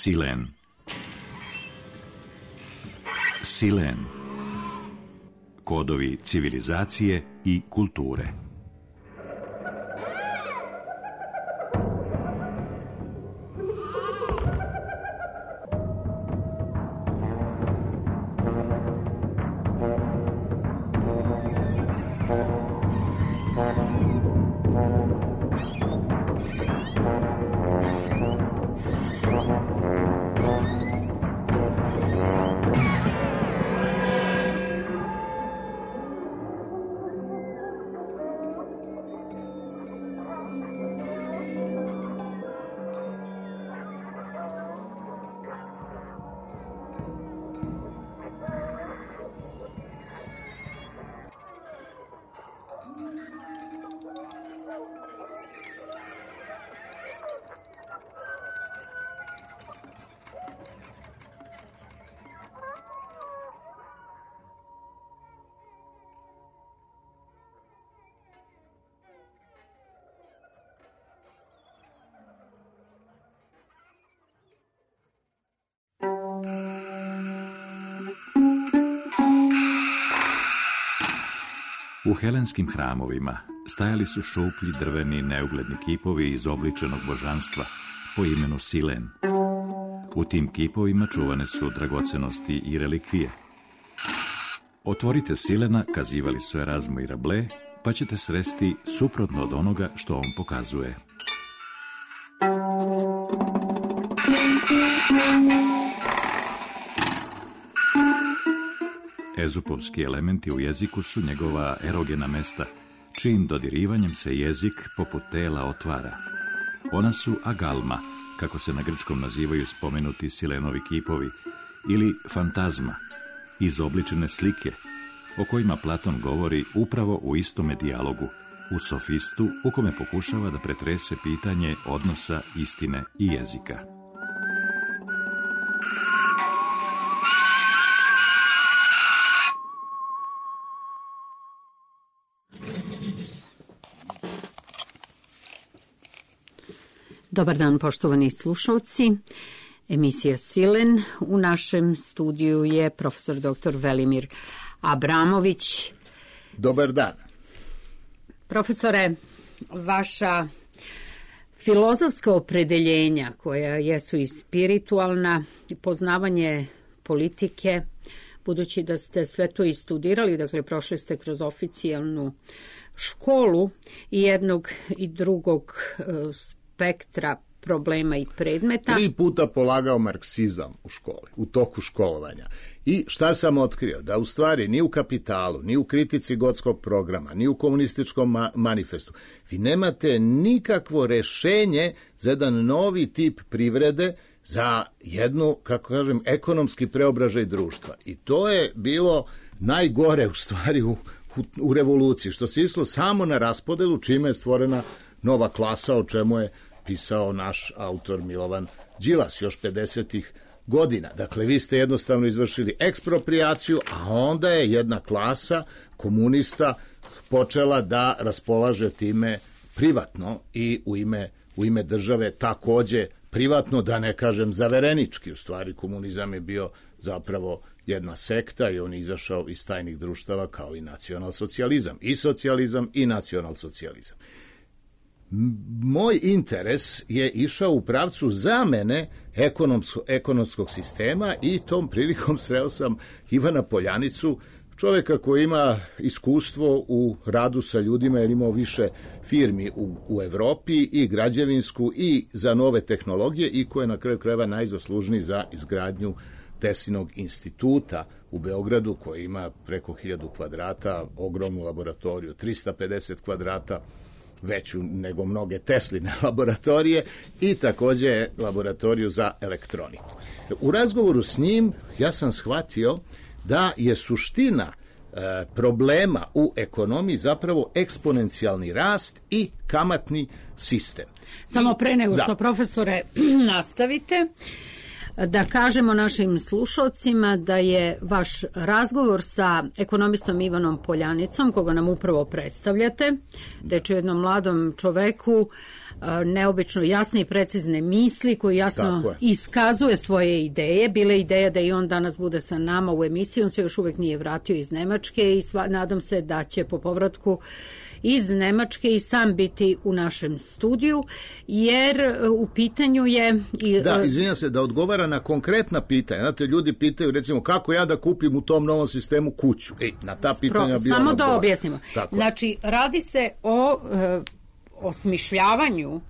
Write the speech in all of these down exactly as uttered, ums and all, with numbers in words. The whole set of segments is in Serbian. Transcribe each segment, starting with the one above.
Silen. Silen. Kodovi civilizacije i kulture. U helenskim hramovima stajali su šuplji drveni neugledni kipovi izobličenog božanstva po imenu Silen. U tim kipovima čuvane su dragocenosti i relikvije. Otvorite Silena, kazivali su Erazmo i Rabelais, pa ćete sresti suprotno od onoga što on pokazuje. Ezupovski elementi u jeziku su njegova erogena mesta, čijim dodirivanjem se jezik poput tela otvara. Ona su agalma, kako se na grčkom nazivaju spomenuti Silenovi kipovi, ili fantazma, izobličene slike, o kojima Platon govori upravo u istome dijalogu, u Sofistu, u kome pokušava da pretrese pitanje odnosa istine i jezika. Dobar dan, poštovani slušalci. Emisija Silen. U našem studiju je profesor doktor Velimir Abramović. Dobar dan. Profesore, vaša filozofska opredeljenja, koja jesu i spiritualna, poznavanje politike, budući da ste sve to i studirali, dakle prošli ste kroz oficijalnu školu i jednog i drugog spektra problema i predmeta. Tri puta polagao marksizam u školi, u toku školovanja. I šta sam otkrio? Da u stvari ni u Kapitalu, ni u kritici Gotskog programa, ni u komunističkom ma- manifestu, vi nemate nikakvo rešenje za jedan novi tip privrede, za jednu, kako kažem, ekonomski preobražaj društva. I to je bilo najgore u stvari u, u, u revoluciji, što se išlo samo na raspodelu, čime je stvorena nova klasa, o čemu je pisao naš autor Milovan Đilas još pedesetih godina. Dakle, vi ste jednostavno izvršili eksproprijaciju, a onda je jedna klasa komunista počela da raspolaže time privatno i u ime, u ime države takođe privatno, da ne kažem zaverenički. U stvari komunizam je bio zapravo jedna sekta i on je izašao iz tajnih društava kao i nacionalsocijalizam. I socijalizam i nacionalsocijalizam. Moj interes je išao u pravcu zamene ekonomsko, ekonomskog sistema i tom prilikom sreo sam Ivana Poljanicu, čovjeka koji ima iskustvo u radu sa ljudima, jer imao više firmi u, u Evropi i građevinsku i za nove tehnologije i koji je na kraju krajeva najzaslužniji za izgradnju Teslinog instituta u Beogradu, koji ima preko hiljadu kvadrata, ogromnu laboratoriju, trista pedeset kvadrata, veću nego mnoge Tesline laboratorije i takođe laboratoriju za elektroniku. U razgovoru s njim ja sam shvatio da je suština e, problema u ekonomiji zapravo eksponencijalni rast i kamatni sistem. Samo pre nego da. što, profesore, nastavite, da kažemo našim slušalcima da je vaš razgovor sa ekonomistom Ivanom Poljanicom, koga nam upravo predstavljate, reč je o jednom mladom čoveku neobično jasne i precizne misli, koji jasno iskazuje svoje ideje. Bile ideja da i on danas bude sa nama u emisiji, on se još uvek nije vratio iz Nemačke i sva, nadam se da će po povratku iz Nemačke i sam biti u našem studiju, jer u pitanju je... I, da, izvinjam se, da odgovara na konkretna pitanja. Znate, ljudi pitaju, recimo, kako ja da kupim u tom novom sistemu kuću? Ej, na ta pitanja bi Samo on da objasnimo. Tako. Znači, radi se o e, osmišljavanju,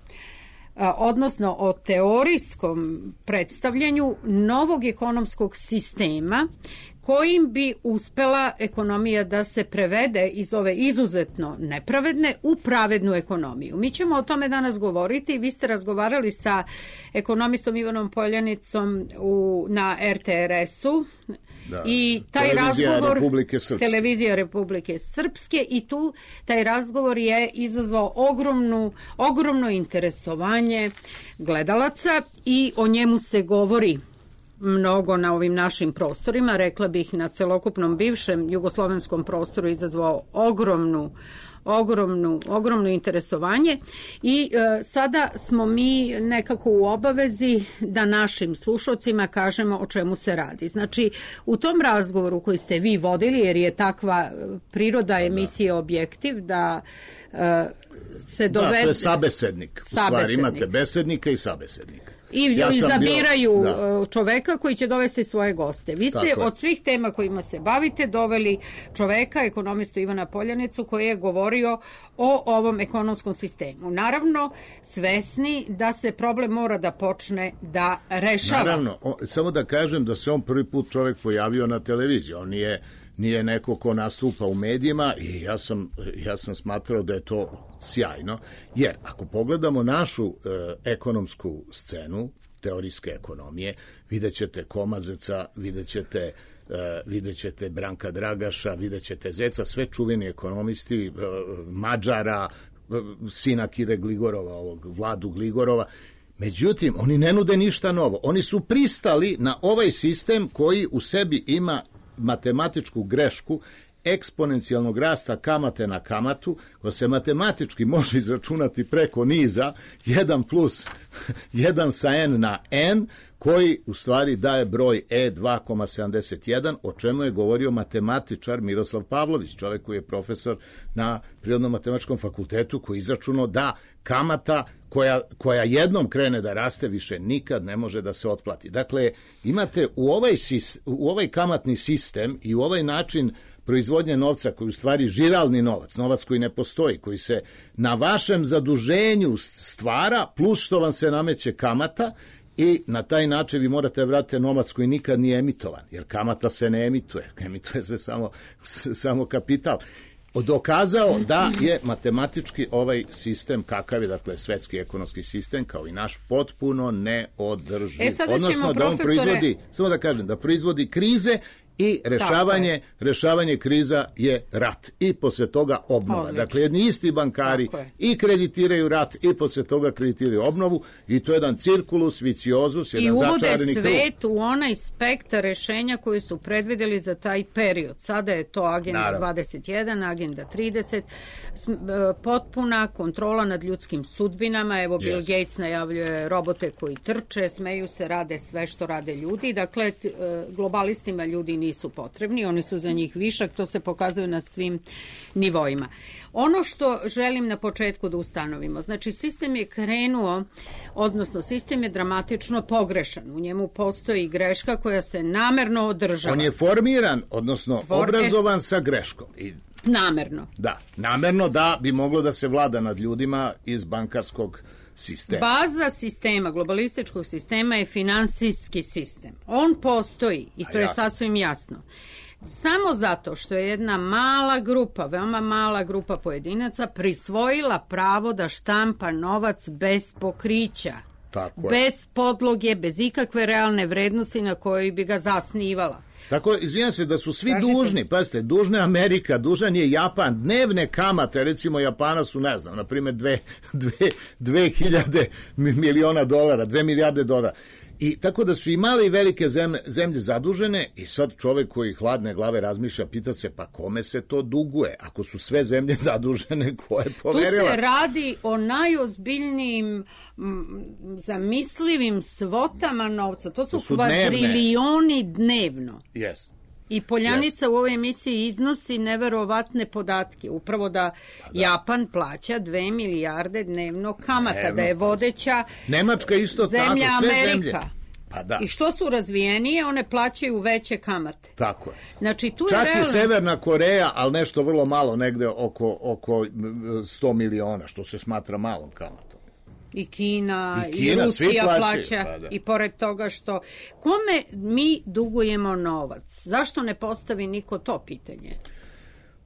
odnosno o teorijskom predstavljanju novog ekonomskog sistema kojim bi uspela ekonomija da se prevede iz ove izuzetno nepravedne u pravednu ekonomiju. Mi ćemo o tome danas govoriti. Vi ste razgovarali sa ekonomistom Ivanom Poljanicom u, na er te er es-u. Da. I taj Televizija razgovor, Republike Srpske. Televizija Republike Srpske i tu taj razgovor je izazvao ogromnu, ogromno interesovanje gledalaca i o njemu se govori mnogo na ovim našim prostorima, rekla bih na celokupnom bivšem jugoslovenskom prostoru izazvao ogromnu ogromnu, ogromno interesovanje i e, sada smo mi nekako u obavezi da našim slušalcima kažemo o čemu se radi. Znači, u tom razgovoru koji ste vi vodili, jer je takva priroda emisije Objektiv, da e, se dovede... Da, to je sabesednik. U stvari imate besednika i sabesednika. I ja izabiraju bio, čoveka koji će dovesti svoje goste. Vi ste Tako od svih tema kojima se bavite doveli čoveka, ekonomistu Ivana Poljanicu, koji je govorio o ovom ekonomskom sistemu. Naravno, svesni da se problem mora da počne da rešava. Naravno, o, samo da kažem da se on prvi put čovek pojavio na televiziji. On nije... nije neko ko nastupa u medijima i ja sam, ja sam smatrao da je to sjajno, jer ako pogledamo našu e, ekonomsku scenu, teorijske ekonomije, vidjet ćete Komazeca, vidjet ćete, e, vidjet ćete Branka Dragaša, vidjet ćete Zeca, sve čuveni ekonomisti, e, Mađara, e, sina Kire Gligorova, ovog Vladu Gligorova. Međutim, oni ne nude ništa novo. Oni su pristali na ovaj sistem koji u sebi ima matematičku grešku eksponencijalnog rasta kamate na kamatu, koja se matematički može izračunati preko niza jedan plus jedan sa n na n, koji u stvari daje broj e dva zarez sedamdeset jedan, o čemu je govorio matematičar Miroslav Pavlović, čovjek koji je profesor na Prirodno-matematičkom fakultetu, koji je izračunao da kamata koja, koja jednom krene da raste više nikad ne može da se otplati. Dakle, imate u ovaj, u ovaj kamatni sistem i u ovaj način proizvodnje novca, koji u stvari žiralni novac, novac koji ne postoji, koji se na vašem zaduženju stvara, plus što vam se nameće kamata, i na taj način vi morate vratiti novac koji nikad nije emitovan, jer kamata se ne emituje, emituje se samo, samo kapital. Dokazao da je matematički ovaj sistem, kakav je, dakle, svetski ekonomski sistem, kao i naš, potpuno neodrživ. E, odnosno da on profesore... proizvodi, samo da kažem, da proizvodi krize i rešavanje, rešavanje kriza je rat i posle toga obnova. Odlično. Dakle, jedni isti bankari i kreditiraju rat i posle toga kreditiraju obnovu i to je jedan cirkulus, viciozus, jedan začarani krug. I uvode svet u onaj spektar rešenja koji su predvideli za taj period. Sada je to agenda Naravno. dvadeset jedan, agenda trideset, potpuna kontrola nad ljudskim sudbinama. Evo, Bill yes. Gates najavljuje robote koji trče, smeju se, rade sve što rade ljudi. Dakle, globalistima ljudi nisu potrebni, oni su za njih višak, to se pokazuje na svim nivoima. Ono što želim na početku da ustanovimo, znači sistem je krenuo, odnosno sistem je dramatično pogrešan, u njemu postoji greška koja se namerno održava. On je formiran, odnosno For... obrazovan sa greškom. I... Namerno. Da, namerno da bi moglo da se vlada nad ljudima iz bankarskog sistema. Baza sistema, globalističkog sistema je finansijski sistem. On postoji i to je sasvim jasno. Samo zato što je jedna mala grupa, veoma mala grupa pojedinaca prisvojila pravo da štampa novac bez pokrića. Tako je. Bez podloge, bez ikakve realne vrednosti na kojoj bi ga zasnivala. Tako, izvinjam se da su svi Kažete. dužni, pazite, dužna je Amerika, dužan je Japan, dnevne kamate, recimo Japana su, ne znam, na primjer dve, dve, dve hiljade miliona dolara, dve milijarde dolara. I tako da su i male i velike zemlje, zemlje zadužene i sad čovek koji hladne glave razmišlja, pita se pa kome se to duguje? Ako su sve zemlje zadužene, ko je poverilac? Tu se radi o najozbiljnijim m, zamislivim svotama novca. To su, to su kvadrilioni dnevno. Yes. I Poljanica yes. u ovoj emisiji iznosi neverovatne podatke. Upravo da, pa da Japan plaća dve milijarde dnevno kamata, dnevno. Da je vodeća Nemačka isto zemlja tako, sve Amerika. Zemlje. Pa da. I što su razvijenije, one plaćaju veće kamate. Tako je. Znači, tu čak je realno... i Severna Koreja, ali nešto vrlo malo, negde oko, oko sto miliona, što se smatra malom kamatom. I Kina, i, Kina, i Rusija plaćaju, plaća, pa da. I pored toga što... Kome mi dugujemo novac? Zašto ne postavi niko to pitanje?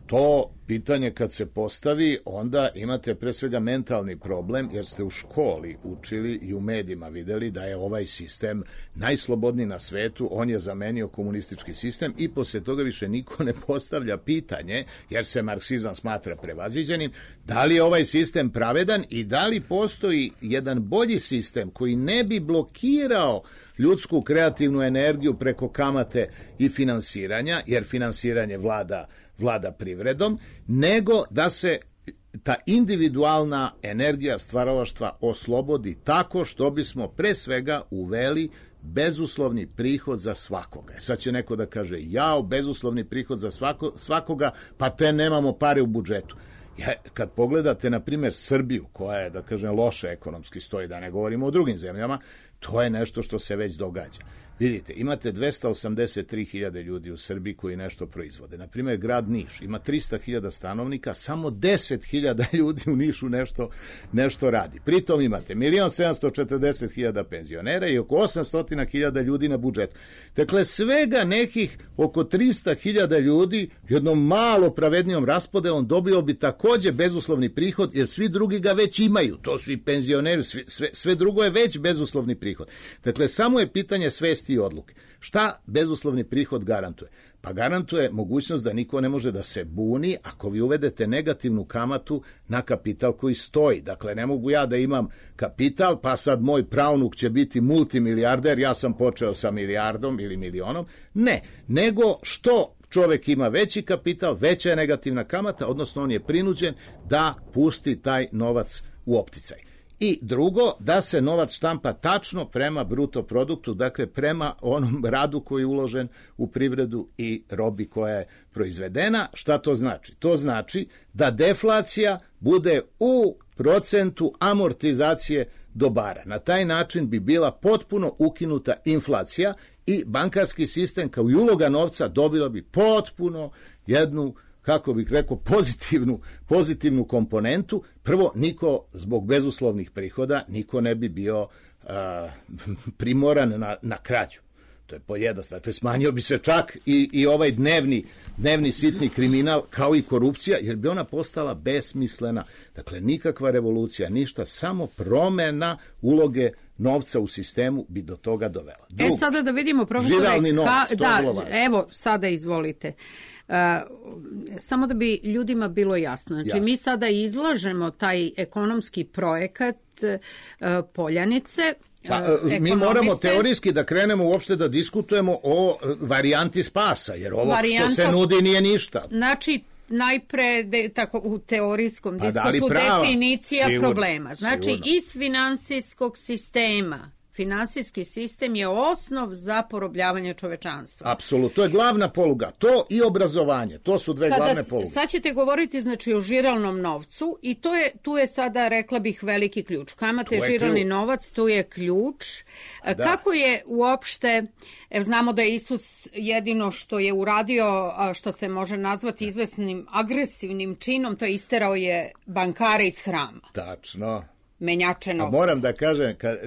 To pitanje kad se postavi, onda imate pre svega mentalni problem, jer ste u školi učili i u medijima videli da je ovaj sistem najslobodniji na svetu, on je zamenio komunistički sistem i posle toga više niko ne postavlja pitanje, jer se marksizam smatra prevaziđenim, da li je ovaj sistem pravedan i da li postoji jedan bolji sistem koji ne bi blokirao ljudsku kreativnu energiju preko kamate i finansiranja, jer finansiranje vlada vlada privredom, nego da se ta individualna energija stvaralaštva oslobodi tako što bismo pre svega uveli bezuslovni prihod za svakoga. Sad će neko da kaže, jao, bezuslovni prihod za svako, svakoga, pa te nemamo pare u budžetu. Ja, kad pogledate, na primjer, Srbiju, koja je, da kažem, loše ekonomski stoji, da ne govorimo o drugim zemljama, to je nešto što se već događa. Vidite, imate dvesta osamdeset tri hiljade ljudi u Srbiji koji nešto proizvode. Na primjer, grad Niš ima trista hiljada stanovnika, samo deset hiljada ljudi u Nišu nešto, nešto radi. Pritom imate milion sedamsto četrdeset hiljada penzionera i oko osamsto hiljada ljudi na budžetu. Dakle, svega nekih oko trista hiljada ljudi jednom malo pravednijom raspodelom dobio bi takođe bezuslovni prihod, jer svi drugi ga već imaju. To su i penzioneri, sve, sve, sve drugo je već bezuslovni prihod. Dakle, samo je pitanje svesti i odluke. Šta bezuslovni prihod garantuje? Pa garantuje mogućnost da niko ne može da se buni ako vi uvedete negativnu kamatu na kapital koji stoji. Dakle, ne mogu ja da imam kapital, pa sad moj pravnuk će biti multimilijarder, ja sam počeo sa milijardom ili milionom. Ne, nego što čovek ima veći kapital, veća je negativna kamata, odnosno on je prinuđen da pusti taj novac u opticaj. I drugo, da se novac štampa tačno prema bruto produktu, dakle prema onom radu koji je uložen u privredu i robi koja je proizvedena. Šta to znači? To znači da deflacija bude u procentu amortizacije dobara. Na taj način bi bila potpuno ukinuta inflacija i bankarski sistem kao i uloga novca dobila bi potpuno jednu, kako bih rekao, pozitivnu, pozitivnu komponentu. Prvo, niko zbog bezuslovnih prihoda, niko ne bi bio a, primoran na, na krađu. To je pojednostavno. Dakle, smanjio bi se čak i, i ovaj dnevni, dnevni sitni kriminal, kao i korupcija, jer bi ona postala besmislena. Dakle, nikakva revolucija, ništa, samo promena uloge novca u sistemu bi do toga dovela. Drugo, e, sada da vidimo, profesore, živalni novac, ka, da, evo, sada izvolite. Uh, samo da bi ljudima bilo jasno. Znači, jasno. Mi sada izlažemo taj ekonomski projekat uh, Poljanice. Pa, mi moramo teorijski da krenemo uopšte da diskutujemo o varijanti spasa, jer ovo Varijanta, što se nudi nije ništa. Znači, najpre de, tako, u teorijskom pa diskursu prava, definicija sigurno, problema. Znači, sigurno. Iz finansijskog sistema, finansijski sistem je osnov za porobljavanje čovečanstva. Apsolutno, to je glavna poluga. To i obrazovanje, to su dve Kada glavne poluge. Sad ćete govoriti, znači, o žiralnom novcu i to je, tu je sada, rekla bih, veliki ključ. Kamate, žiralni ključ. Novac, tu je ključ. Da. Kako je uopšte, ev, znamo da je Isus jedino što je uradio, što se može nazvati izvesnim agresivnim činom, to je isterao je bankare iz hrama. Tačno. Menjače novca. A moram da kažem, kad,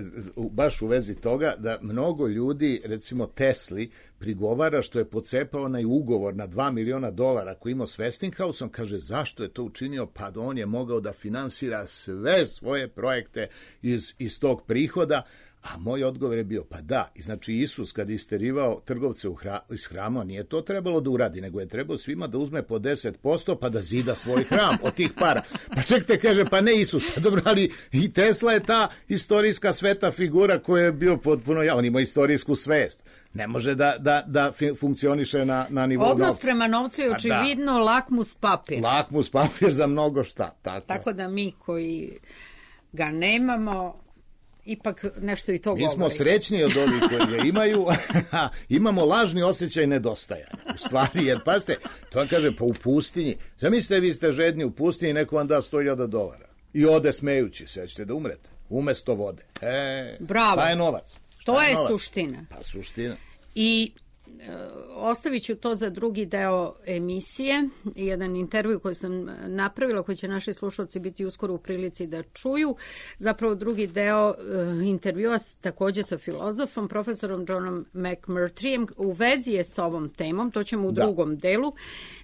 baš u vezi toga, da mnogo ljudi, recimo Tesli, prigovara što je pocepao onaj ugovor na dva miliona dolara koji imao s Westinghouseom, kaže zašto je to učinio, pa on je mogao da finansira sve svoje projekte iz, iz tog prihoda, A moj odgovor je bio, pa da, i znači Isus kad je isterivao trgovce u hra, iz hrama, nije to trebalo da uradi, nego je trebao svima da uzme po deset posto pa da zida svoj hram od tih para. Pa čekajte, kaže, pa ne Isus, pa dobro, ali i Tesla je ta istorijska sveta figura koja je bio potpuno, ja, on ima istorijsku svest. Ne može da, da, da funkcioniše na, na nivou novca. Odnos prema novcu je očividno da. lakmus papir. Lakmus papir za mnogo šta. Tako, tako da mi koji ga nemamo, ipak nešto i to govori. Mi smo srećni od ovih koji ga imaju, imamo lažni osjećaj nedostajanja. U stvari, jer pazite, to vam kaže, pa u pustinji, zamislite vi ste žedni u pustinji, neko vam da sto hiljada dolara i ode smejući se, ćete da umrete, umesto vode. E, Bravo. Šta je novac? Šta to je, je novac? suština. Pa suština. I e, ostavit ću to za drugi deo emisije, jedan intervju koji sam napravila, koji će naši slušalci biti uskoro u prilici da čuju. Zapravo drugi deo e, intervjua takođe sa filozofom, profesorom Johnom McMurtryjem, u vezi je s ovom temom, to ćemo u da. drugom delu,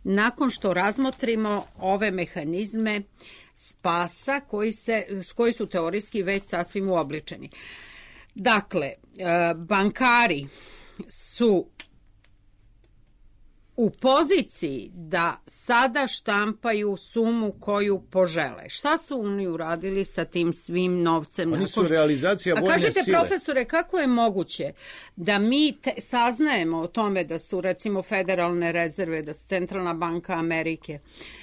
nakon što razmotrimo ove mehanizme spasa koji, se, koji su teorijski već sasvim uobličeni. Dakle, bankari su u poziciji da sada štampaju sumu koju požele. Šta su oni uradili sa tim svim novcem? Oni su realizacija vojne sile. A kažete, profesore, kako je moguće da mi te, saznajemo o tome da su, recimo, federalne rezerve, da su Centralna banka Amerike,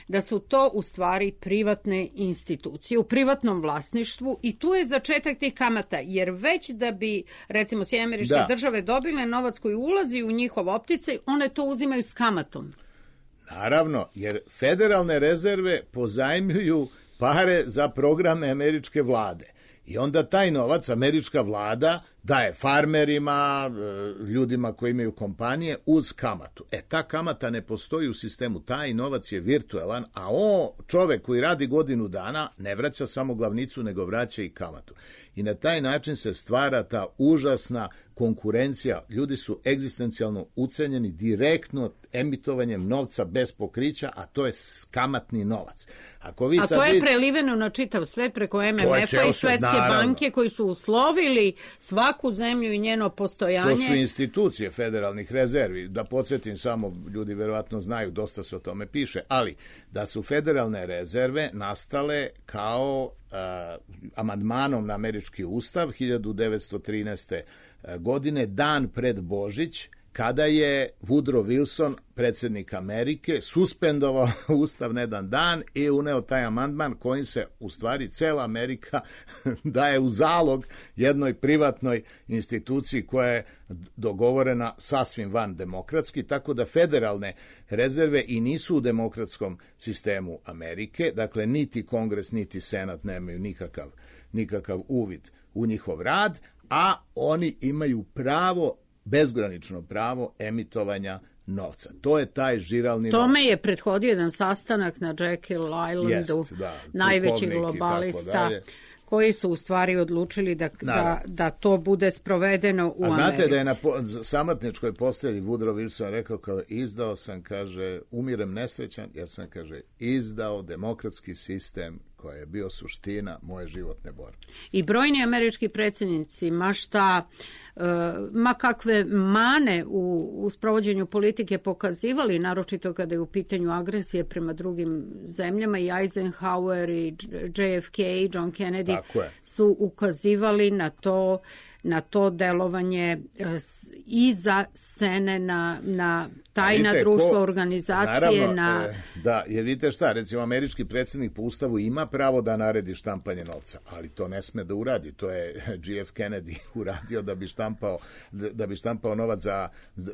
da su to u stvari privatne institucije, u privatnom vlasništvu, i tu je začetak tih kamata, jer već da bi, recimo, Sjedinjene Američke da. države dobile novac koji ulazi u njihov opticaj, one to uzimaju s kamatom. Naravno, jer federalne rezerve pozajmljuju pare za programe američke vlade. I onda taj novac američka vlada daje farmerima, ljudima koji imaju kompanije uz kamatu. E, ta kamata ne postoji u sistemu, taj novac je virtualan, a o čovek koji radi godinu dana ne vraća samo glavnicu, nego vraća i kamatu. I na taj način se stvara ta užasna konkurencija. Ljudi su egzistencijalno ucenjeni direktno emitovanjem novca bez pokrića, a to je kamatni novac. Ako vi a sad to je vidite, preliveno na čitav svet preko em em ef-a i Svetske naravno. banke koji su uslovili svaku zemlju i njeno postojanje. To su institucije federalnih rezervi. Da podsjetim samo, ljudi verovatno znaju, dosta se o tome piše, ali da su federalne rezerve nastale kao uh, amandmanom na američki ustav hiljadu devetsto trinaeste. godine, dan pred Božić, kada je Woodrow Wilson, predsjednik Amerike, suspendovao ustav na jedan dan i uneo taj amandman kojim se u stvari cela Amerika daje u zalog jednoj privatnoj instituciji koja je dogovorena sasvim van demokratski, tako da federalne rezerve i nisu u demokratskom sistemu Amerike, dakle niti Kongres niti Senat nemaju nikakav, nikakav uvid u njihov rad, a oni imaju pravo, bezgranično pravo emitovanja novca. To je taj žiralni novac. Tome je prethodio jedan sastanak na Jekyll Islandu, Jest, da, najvećih globalista, koji su u stvari odlučili da, da, da to bude sprovedeno u Americi. A znate da je na samrtničkoj postrelji Woodrow Wilson rekao, kao izdao sam, kaže, umirem nesrećan, jer sam, kaže, izdao demokratski sistem koja je bio suština moje životne borbe. I brojni američki predsjednici, ma šta, ma kakve mane u, u sprovođenju politike pokazivali, naročito kada je u pitanju agresije prema drugim zemljama, i Eisenhower i J F K, John Kennedy su ukazivali na to na to delovanje iza scene, na, na tajna vidite, društva, ko, organizacije. Naravno, na... e, da, jer vidite šta, recimo američki predsjednik po ustavu ima pravo da naredi štampanje novca, ali to ne sme da uradi. To je J F Kennedy uradio da bi štampao, da bi štampao novac za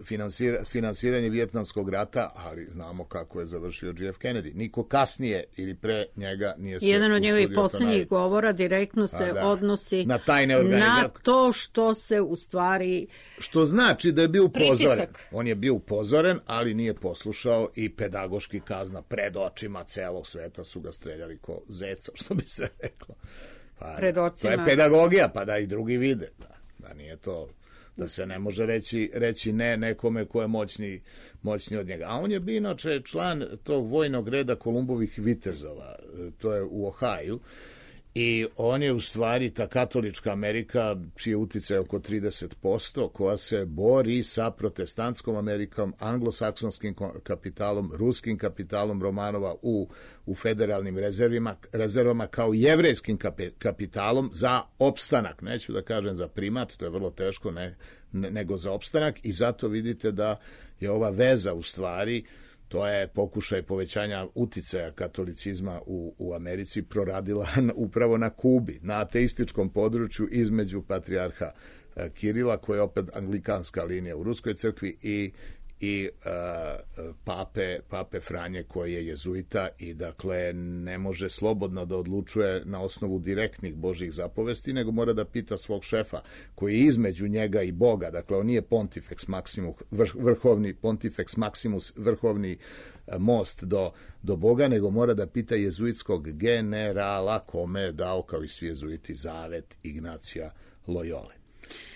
finansir, finansiranje Vijetnamskog rata, ali znamo kako je završio J F Kennedy. Niko kasnije ili pre njega nije se jedan od njegovih poslednjih govora direktno se da, odnosi na tajne organizacije, na to što se u stvari... Što znači da je bio upozoren. On je bio upozoren, ali nije poslušao i pedagoški kazna pred očima celog sveta su ga streljali ko zeca, što bi se reklo. Pa, pred očima. To je pedagogija, pa da i drugi vide. Da, da nije to... da se ne može reći, reći ne nekome ko je moćni, moćni od njega. A on je bio inače član tog vojnog reda Kolumbovih vitezova, to je u Ohaju. I on je u stvari ta katolička Amerika, čiji je uticaj oko trideset posto, koja se bori sa protestantskom Amerikom, anglosaksonskim kapitalom, ruskim kapitalom Romanova u, u federalnim rezervima, rezervama kao jevrejskim kapitalom za opstanak. Neću da kažem za primat, to je vrlo teško, ne, ne, nego za opstanak, i zato vidite da je ova veza u stvari, to je pokušaj povećanja uticaja katolicizma u, u Americi, proradila upravo na Kubi, na ateističkom području između patrijarha Kirila, koja je opet anglikanska linija u Ruskoj crkvi, i, i uh, pape, pape Franje, koji je jezuita i dakle ne može slobodno da odlučuje na osnovu direktnih božjih zapovesti, nego mora da pita svog šefa, koji je između njega i Boga. Dakle, on nije Pontifex Maximus, vrh, vrhovni Pontifex Maximus, vrhovni uh, most do, do Boga, nego mora da pita jezuitskog generala, kome je dao, kao i svi jezuiti, zavet Ignacija Loyole.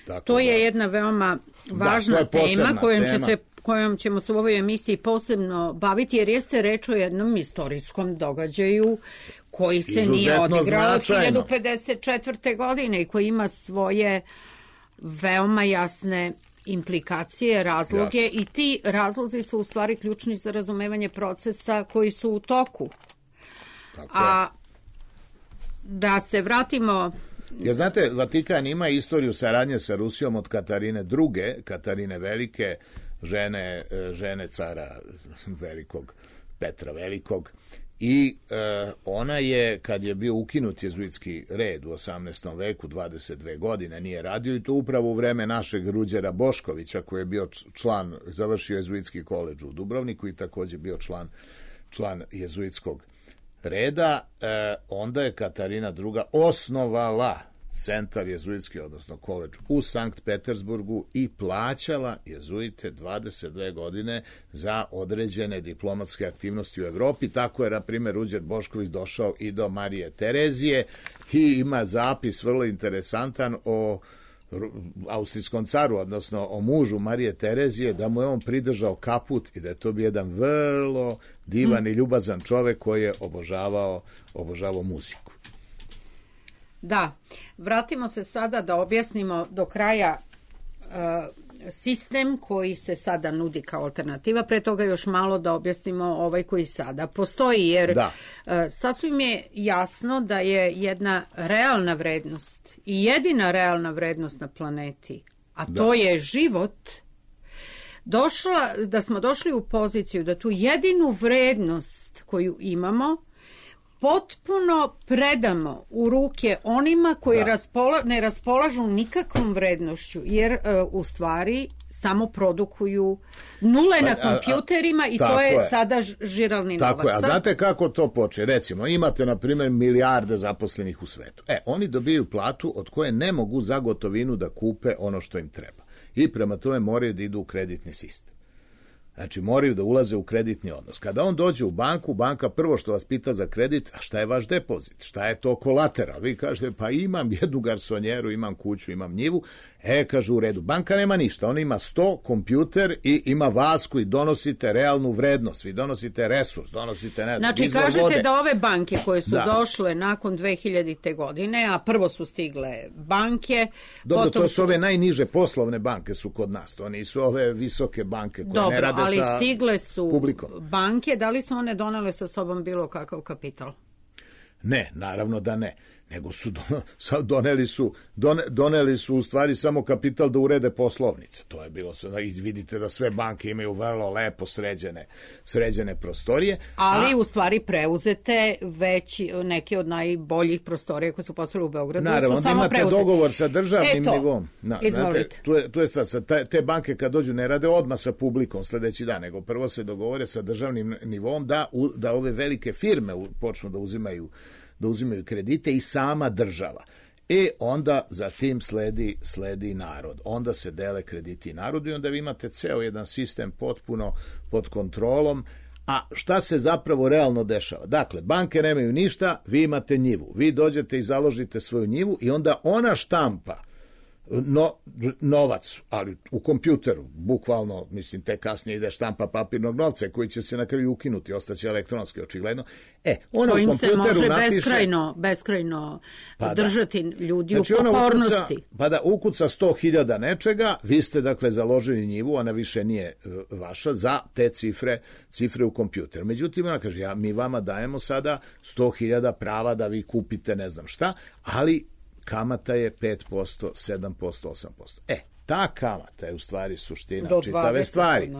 Tako to da, je jedna veoma važna da, tema kojom, tema. Će se, kojom ćemo se u ovoj emisiji posebno baviti, jer jeste reč o jednom istorijskom događaju koji se izuzetno nije odigrao od hiljadu pedeset četvrte. godine i koji ima svoje veoma jasne implikacije, razloge, Jasne. I ti razlozi su u stvari ključni za razumevanje procesa koji su u toku. Tako A da se vratimo... Jer znate, Vatikan ima istoriju saradnje sa Rusijom od Katarine druge, Katarine Velike, žene, žene cara Velikog, Petra Velikog, i e, ona je, kad je bio ukinut jezuitski red u osamnaestom veku, dvadeset dve godine nije radio, i to upravo u vreme našeg Ruđera Boškovića, koji je bio član, završio jezuitski koledž u Dubrovniku i također bio član, član jezuitskog reda, eh, onda je Katarina druga osnovala centar jezuitski, odnosno koledž u Sankt Petersburgu, i plaćala jezuite dvadeset dve godine za određene diplomatske aktivnosti u Evropi. Tako je, na primjer, Ruđer Bošković došao i do Marije Terezije, i ima zapis vrlo interesantan o austrijskom caru, odnosno o mužu Marije Terezije, da mu je on pridržao kaput i da je to bio jedan vrlo divan mm. i ljubazan čovek koji je obožavao, obožavao muziku. Da, vratimo se sada da objasnimo do kraja uh, sistem koji se sada nudi kao alternativa, pre toga još malo da objasnimo ovaj koji sada postoji, jer da. uh, sasvim je jasno da je jedna realna vrednost i jedina realna vrednost na planeti, a to da. je život, došla, da smo došli u poziciju da tu jedinu vrednost koju imamo potpuno predamo u ruke onima koji raspola, ne raspolažu nikakvom vrednošću, jer uh, u stvari samo produkuju nule pa, na kompjuterima, i to je, je sada žiralni novac. Tako je, a znate kako to poče? Recimo, imate, na primjer, milijarde zaposlenih u svetu. E, oni dobiju platu od koje ne mogu za gotovinu da kupe ono što im treba. I prema tome moraju da idu u kreditni sistem. Znači, moraju da ulaze u kreditni odnos. Kada on dođe u banku, banka prvo što vas pita za kredit, a šta je vaš depozit? Šta je to kolateral? Vi kažete, pa imam jednu garsonjeru, imam kuću, imam njivu. E, kažu, u redu. Banka nema ništa. Ona ima sto, kompjuter i ima vas koji donosite realnu vrednost. Vi donosite resurs, donosite, ne znam, znači, izvor kažete vode. Da ove banke koje su da. došle nakon dve hiljadite. godine, a prvo su stigle banke... Dobro, potom to su ove najniže poslovne banke su kod nas. To nisu ove visoke banke koje Dobro, ne rade ali sa stigle su publikom. Banke, da li su one donele sa sobom bilo kakav kapital? Ne, naravno da ne. Nego su doneli su, doneli su u stvari samo kapital da urede poslovnice. To je bilo sve. I vidite da sve banke imaju vrlo lepo sređene, sređene prostorije. Ali a, u stvari preuzete već neke od najboljih prostorija koje su postavili u Beogradu. Naravno, su samo imate preuzete. Dogovor sa državnim Eto, nivom. Na, izvolite. Znate, tu je, tu je stvar, te, te banke kad dođu ne rade odmah sa publikom sledeći dan, nego prvo se dogovore sa državnim nivom da, da ove velike firme počnu da uzimaju da uzimaju kredite i sama država. E onda za tim sledi, sledi narod. Onda se dele krediti narodu i onda vi imate ceo jedan sistem potpuno pod kontrolom. A šta se zapravo realno dešava? Dakle, banke nemaju ništa, vi imate njivu. Vi dođete i založite svoju njivu i onda ona štampa no, novac, ali u kompjuteru, bukvalno, mislim, te kasnije ide štampa papirnog novca koji će se na kraju ukinuti, ostaće elektronski, očigledno. E, ono kojim u kompjuteru se može napiše, beskrajno, beskrajno pa držati ljudi znači, u pokornosti. Ukuca, pa da ukuca sto hiljada nečega, vi ste dakle založili njivu, ona više nije uh, vaša, za te cifre, cifre u kompjuteru. Međutim, ona kaže, ja, mi vama dajemo sada sto hiljada prava da vi kupite ne znam šta, ali kamata je pet posto, sedam posto, osam posto. E, ta kamata je u stvari suština do čitave stvari.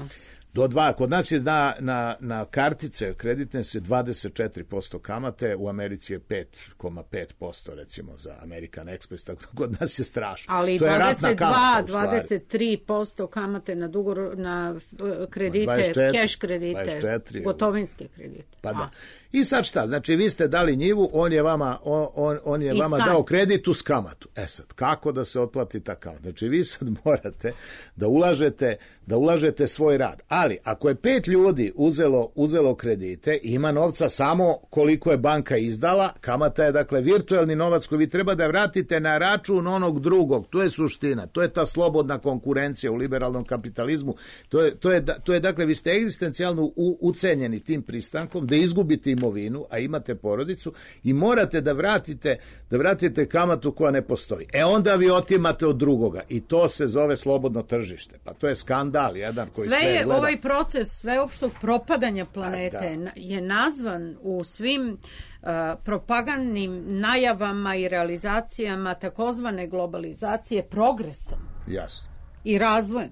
Do dva, kod nas je na, na, na kartice kreditne se dvadeset četiri posto kamate, u Americi je pet zarez pet posto recimo za American Express, tako da kod nas je strašno. Ali to je dvadeset dva, kamata, dvadeset tri posto kamate na dugo, na kredite, dvadeset četiri, keš kredite, dvadeset četiri, gotovinske kredite. Pa da. I sad šta? Znači vi ste dali njivu, on je vama, on, on, on je vama dao kredit uz kamatu. E sad, kako da se otplati ta kamata? Znači vi sad morate da ulažete, da ulažete svoj rad. Ali ako je pet ljudi uzelo, uzelo kredite, ima novca samo koliko je banka izdala, kamata je dakle virtuelni novac koji vi treba da vratite na račun onog drugog. To je suština. To je ta slobodna konkurencija u liberalnom kapitalizmu. To je, to je, to je dakle, vi ste egzistencijalno u, ucenjeni tim pristankom da izgubite imovinu, a imate porodicu i morate da vratite, da vratite kamatu koja ne postoji. E onda vi otimate od drugoga i to se zove slobodno tržište. Pa to je skandal jedan koji sve, sve je gleda. Ovaj proces sveopštog propadanja planete da. je nazvan u svim uh, propagandnim najavama i realizacijama takozvane globalizacije progresom. Jasno. I razvojem.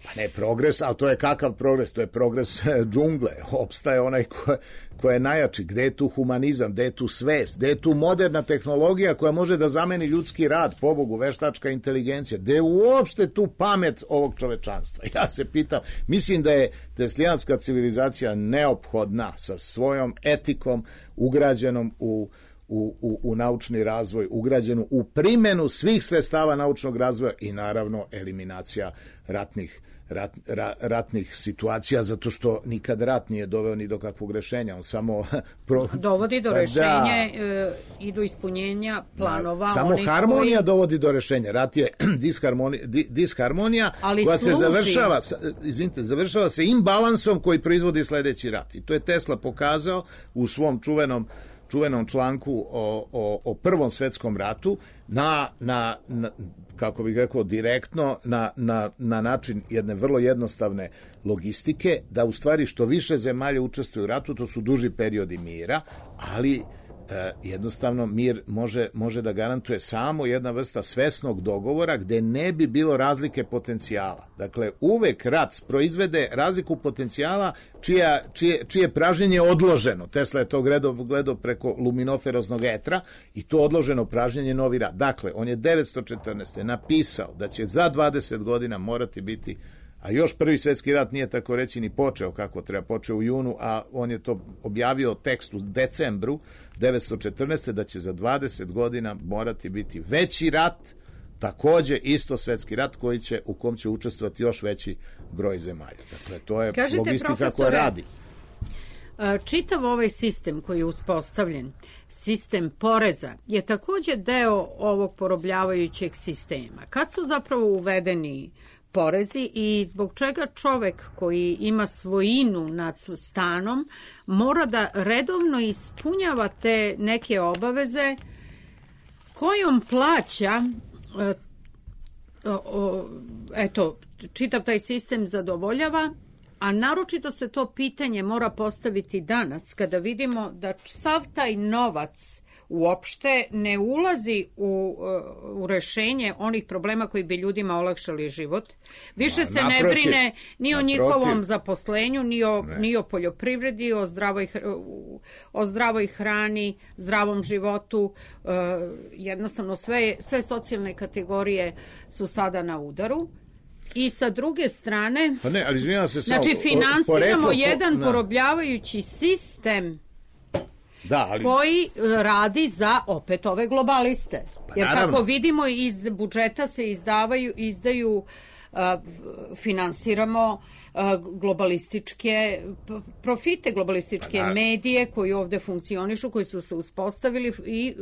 Pa ne progres, ali to je kakav progres? To je progres džungle. Opstaje onaj ko, ko je najjači. Gde je tu humanizam? Gde je tu svest? Gde je tu moderna tehnologija koja može da zameni ljudski rad, pobogu, veštačka inteligencija? Gde je uopšte tu pamet ovog čovečanstva? Ja se pitam, mislim da je teslijanska civilizacija neophodna sa svojom etikom ugrađenom u U, u, u naučni razvoj, ugrađenu u primjenu svih sredstava naučnog razvoja i naravno eliminacija ratnih, rat, ra, ratnih situacija, zato što nikad rat nije doveo ni do kakvog rešenja, on samo pro... dovodi do rešenja e, i do ispunjenja planova. Da, samo harmonija koji... dovodi do rešenja. Rat je disharmonija, disharmonija koja služi. se završava, izvinite, završava se imbalansom koji proizvodi sledeći rat. I to je Tesla pokazao u svom čuvenom čuvenom članku o, o, o Prvom svetskom ratu na, na, na kako bih rekao, direktno na, na, na način jedne vrlo jednostavne logistike, da u stvari što više zemalja učestvuju u ratu, to su duži periodi mira, ali e, jednostavno mir može, može da garantuje samo jedna vrsta svesnog dogovora gde ne bi bilo razlike potencijala. Dakle, uvek rat proizvede razliku potencijala čija, čije, čije pražnjenje je odloženo. Tesla je to gledao, gledao preko luminoferoznog etra i to odloženo pražnjenje novi rat. Dakle, on je devetsto četrnaeste. napisao da će za dvadeset godina morati biti, a još prvi svjetski rat nije tako reći ni počeo kako treba, počeo u junu, a on je to objavio tekst u decembru devetsto četrnaeste. da će za dvadeset godina morati biti veći rat, takođe isto svjetski rat koji će, u kom će učestvovati još veći broj zemalja. Dakle, to je Kažete, logistika koja radi. Čitav ovaj sistem koji je uspostavljen, sistem poreza, je takođe deo ovog porobljavajućeg sistema. Kad su zapravo uvedeni porezi i zbog čega čovek koji ima svojinu nad stanom mora da redovno ispunjava te neke obaveze kojom plaća eto, čitav taj sistem zadovoljava, a naročito se to pitanje mora postaviti danas kada vidimo da sav taj novac uopšte ne ulazi u, u rešenje onih problema koji bi ljudima olakšali život. Više se naprotiv, ne brine ni o naprotiv. njihovom zaposlenju, ni o, ni o poljoprivredi, o zdravoj, o zdravoj hrani, zdravom životu. Jednostavno sve, sve socijalne kategorije su sada na udaru. I sa druge strane, pa ne, ali izvinjam se, znači finansiramo poreklo, jedan to, porobljavajući sistem da, ali... koji radi za opet ove globaliste. Pa, Jer naravno. Kako vidimo iz budžeta se izdavaju, izdaju finansiramo globalističke profite, globalističke medije koji ovde funkcionišu, koji su se uspostavili i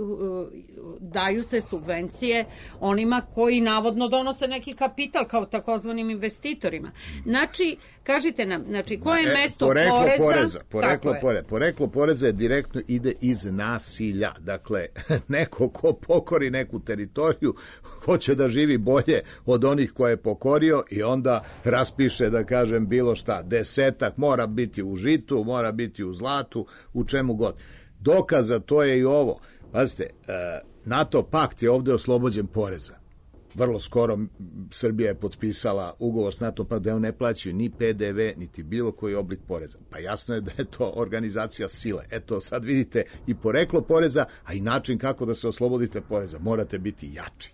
daju se subvencije onima koji navodno donose neki kapital kao takozvanim investitorima. Znači, kažite nam, znači, koje je mesto poreklo poreza? poreza poreklo, poreza, poreklo poreza je direktno ide iz nasilja. Dakle, neko ko pokori neku teritoriju hoće da živi bolje od onih koje je pokorio i onda raspiše, da kažem, bilo šta, desetak, mora biti u žitu, mora biti u zlatu, u čemu god. Dokaza to je i ovo. Pazite, NATO pakt je ovde oslobođen poreza. Vrlo skoro Srbija je potpisala ugovor s NATO paktom da on ne plaćaju ni P D V, niti bilo koji oblik poreza. Pa jasno je da je to organizacija sile. Eto, sad vidite i poreklo poreza, a i način kako da se oslobodite poreza. Morate biti jači.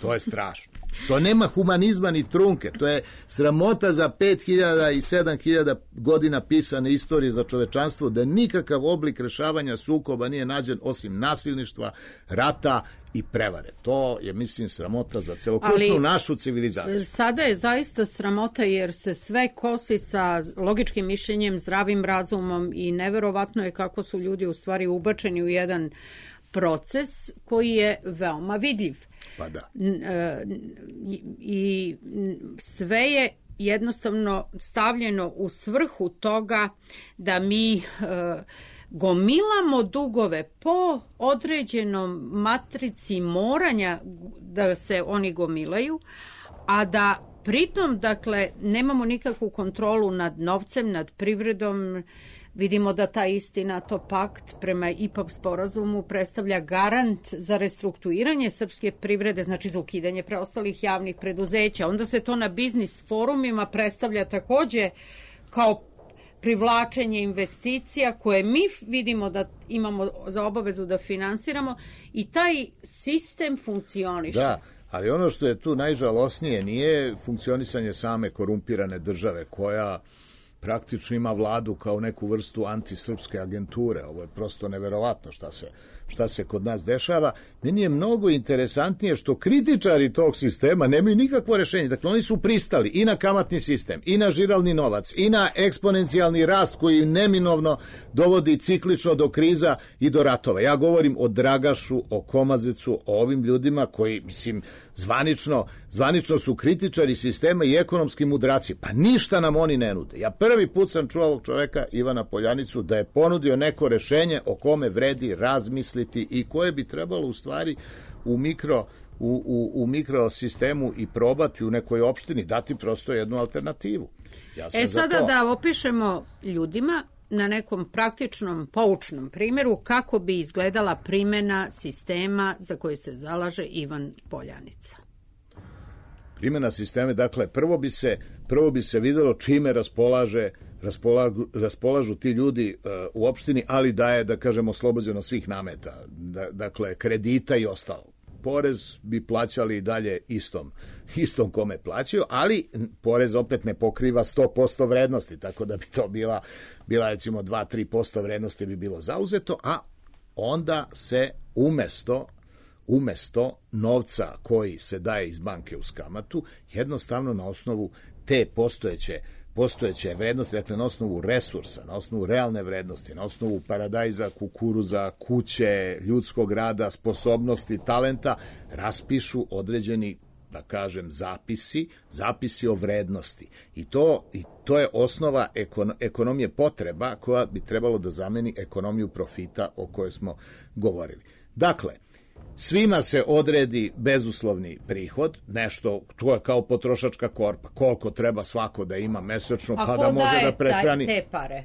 To je strašno. To nema humanizma ni trunke. To je sramota za pet hiljada i sedam hiljada godina pisane istorije za čovečanstvo, da nikakav oblik rešavanja sukoba nije nađen osim nasilništva, rata i prevare. To je, mislim, sramota za celokupnu našu civilizaciju. Sada je zaista sramota jer se sve kosi sa logičkim mišljenjem, zdravim razumom i neverovatno je kako su ljudi u stvari ubačeni u jedan proces koji je veoma vidljiv. Pa da. I, i sve je jednostavno stavljeno u svrhu toga da mi e, gomilamo dugove po određenom matrici moranja da se oni gomilaju, a da pritom, dakle, nemamo nikakvu kontrolu nad novcem, nad privredom. Vidimo da ta isti NATO pakt prema I P A P sporazumu predstavlja garant za restrukturiranje srpske privrede, znači za ukidanje preostalih javnih preduzeća. Onda se to na biznis forumima predstavlja takođe kao privlačenje investicija koje mi vidimo da imamo za obavezu da finansiramo i taj sistem funkcioniše. Da, ali ono što je tu najžalosnije nije funkcionisanje same korumpirane države koja praktično ima vladu kao neku vrstu antisrpske agenture. Ovo je prosto neverovatno šta se, šta se kod nas dešava. Meni je mnogo interesantnije što kritičari tog sistema nemaju nikakvo rešenje. Dakle, oni su pristali i na kamatni sistem, i na žiralni novac, i na eksponencijalni rast koji neminovno dovodi ciklično do kriza i do ratova. Ja govorim o Dragašu, o Komazecu, o ovim ljudima koji, mislim, zvanično, zvanično su kritičari sistema i ekonomski mudraci. Pa ništa nam oni ne nude. Ja prvi put sam čuo ovog čoveka, Ivana Poljanicu, da je ponudio neko rešenje o kome vredi razmisliti i koje bi trebalo u stvari u mikro, u, u, u mikrosistemu i probati u nekoj opštini, dati prosto jednu alternativu. Ja sam e sada za to. Da opišemo ljudima na nekom praktičnom, poučnom primjeru kako bi izgledala primjena sistema za koji se zalaže Ivan Poljanica. Primjena sistema, dakle, prvo bi se, prvo bi se videlo čime raspolaže, raspolažu, raspolažu ti ljudi uh, u opštini, ali da je, da kažemo, oslobođeno svih nameta, da, dakle, kredita i ostalo. Porez bi plaćali i dalje istom, istom kome plaćaju, ali porez opet ne pokriva sto posto vrednosti, tako da bi to bila, bila recimo dva do tri posto vrednosti bi bilo zauzeto, a onda se umesto umesto novca koji se daje iz banke uz kamatu, jednostavno na osnovu te postojeće postojeće vrednosti, dakle na osnovu resursa, na osnovu realne vrednosti, na osnovu paradajza, kukuruza, kuće, ljudskog rada, sposobnosti, talenta, raspišu određeni, da kažem, zapisi, zapisi o vrednosti. I to, i to je osnova ekon, ekonomije potreba koja bi trebalo da zameni ekonomiju profita o kojoj smo govorili. Dakle, svima se odredi bezuslovni prihod, nešto, to je kao potrošačka korpa, koliko treba svako da ima mesečno, pa da može da prehrani. A ko daje te pare?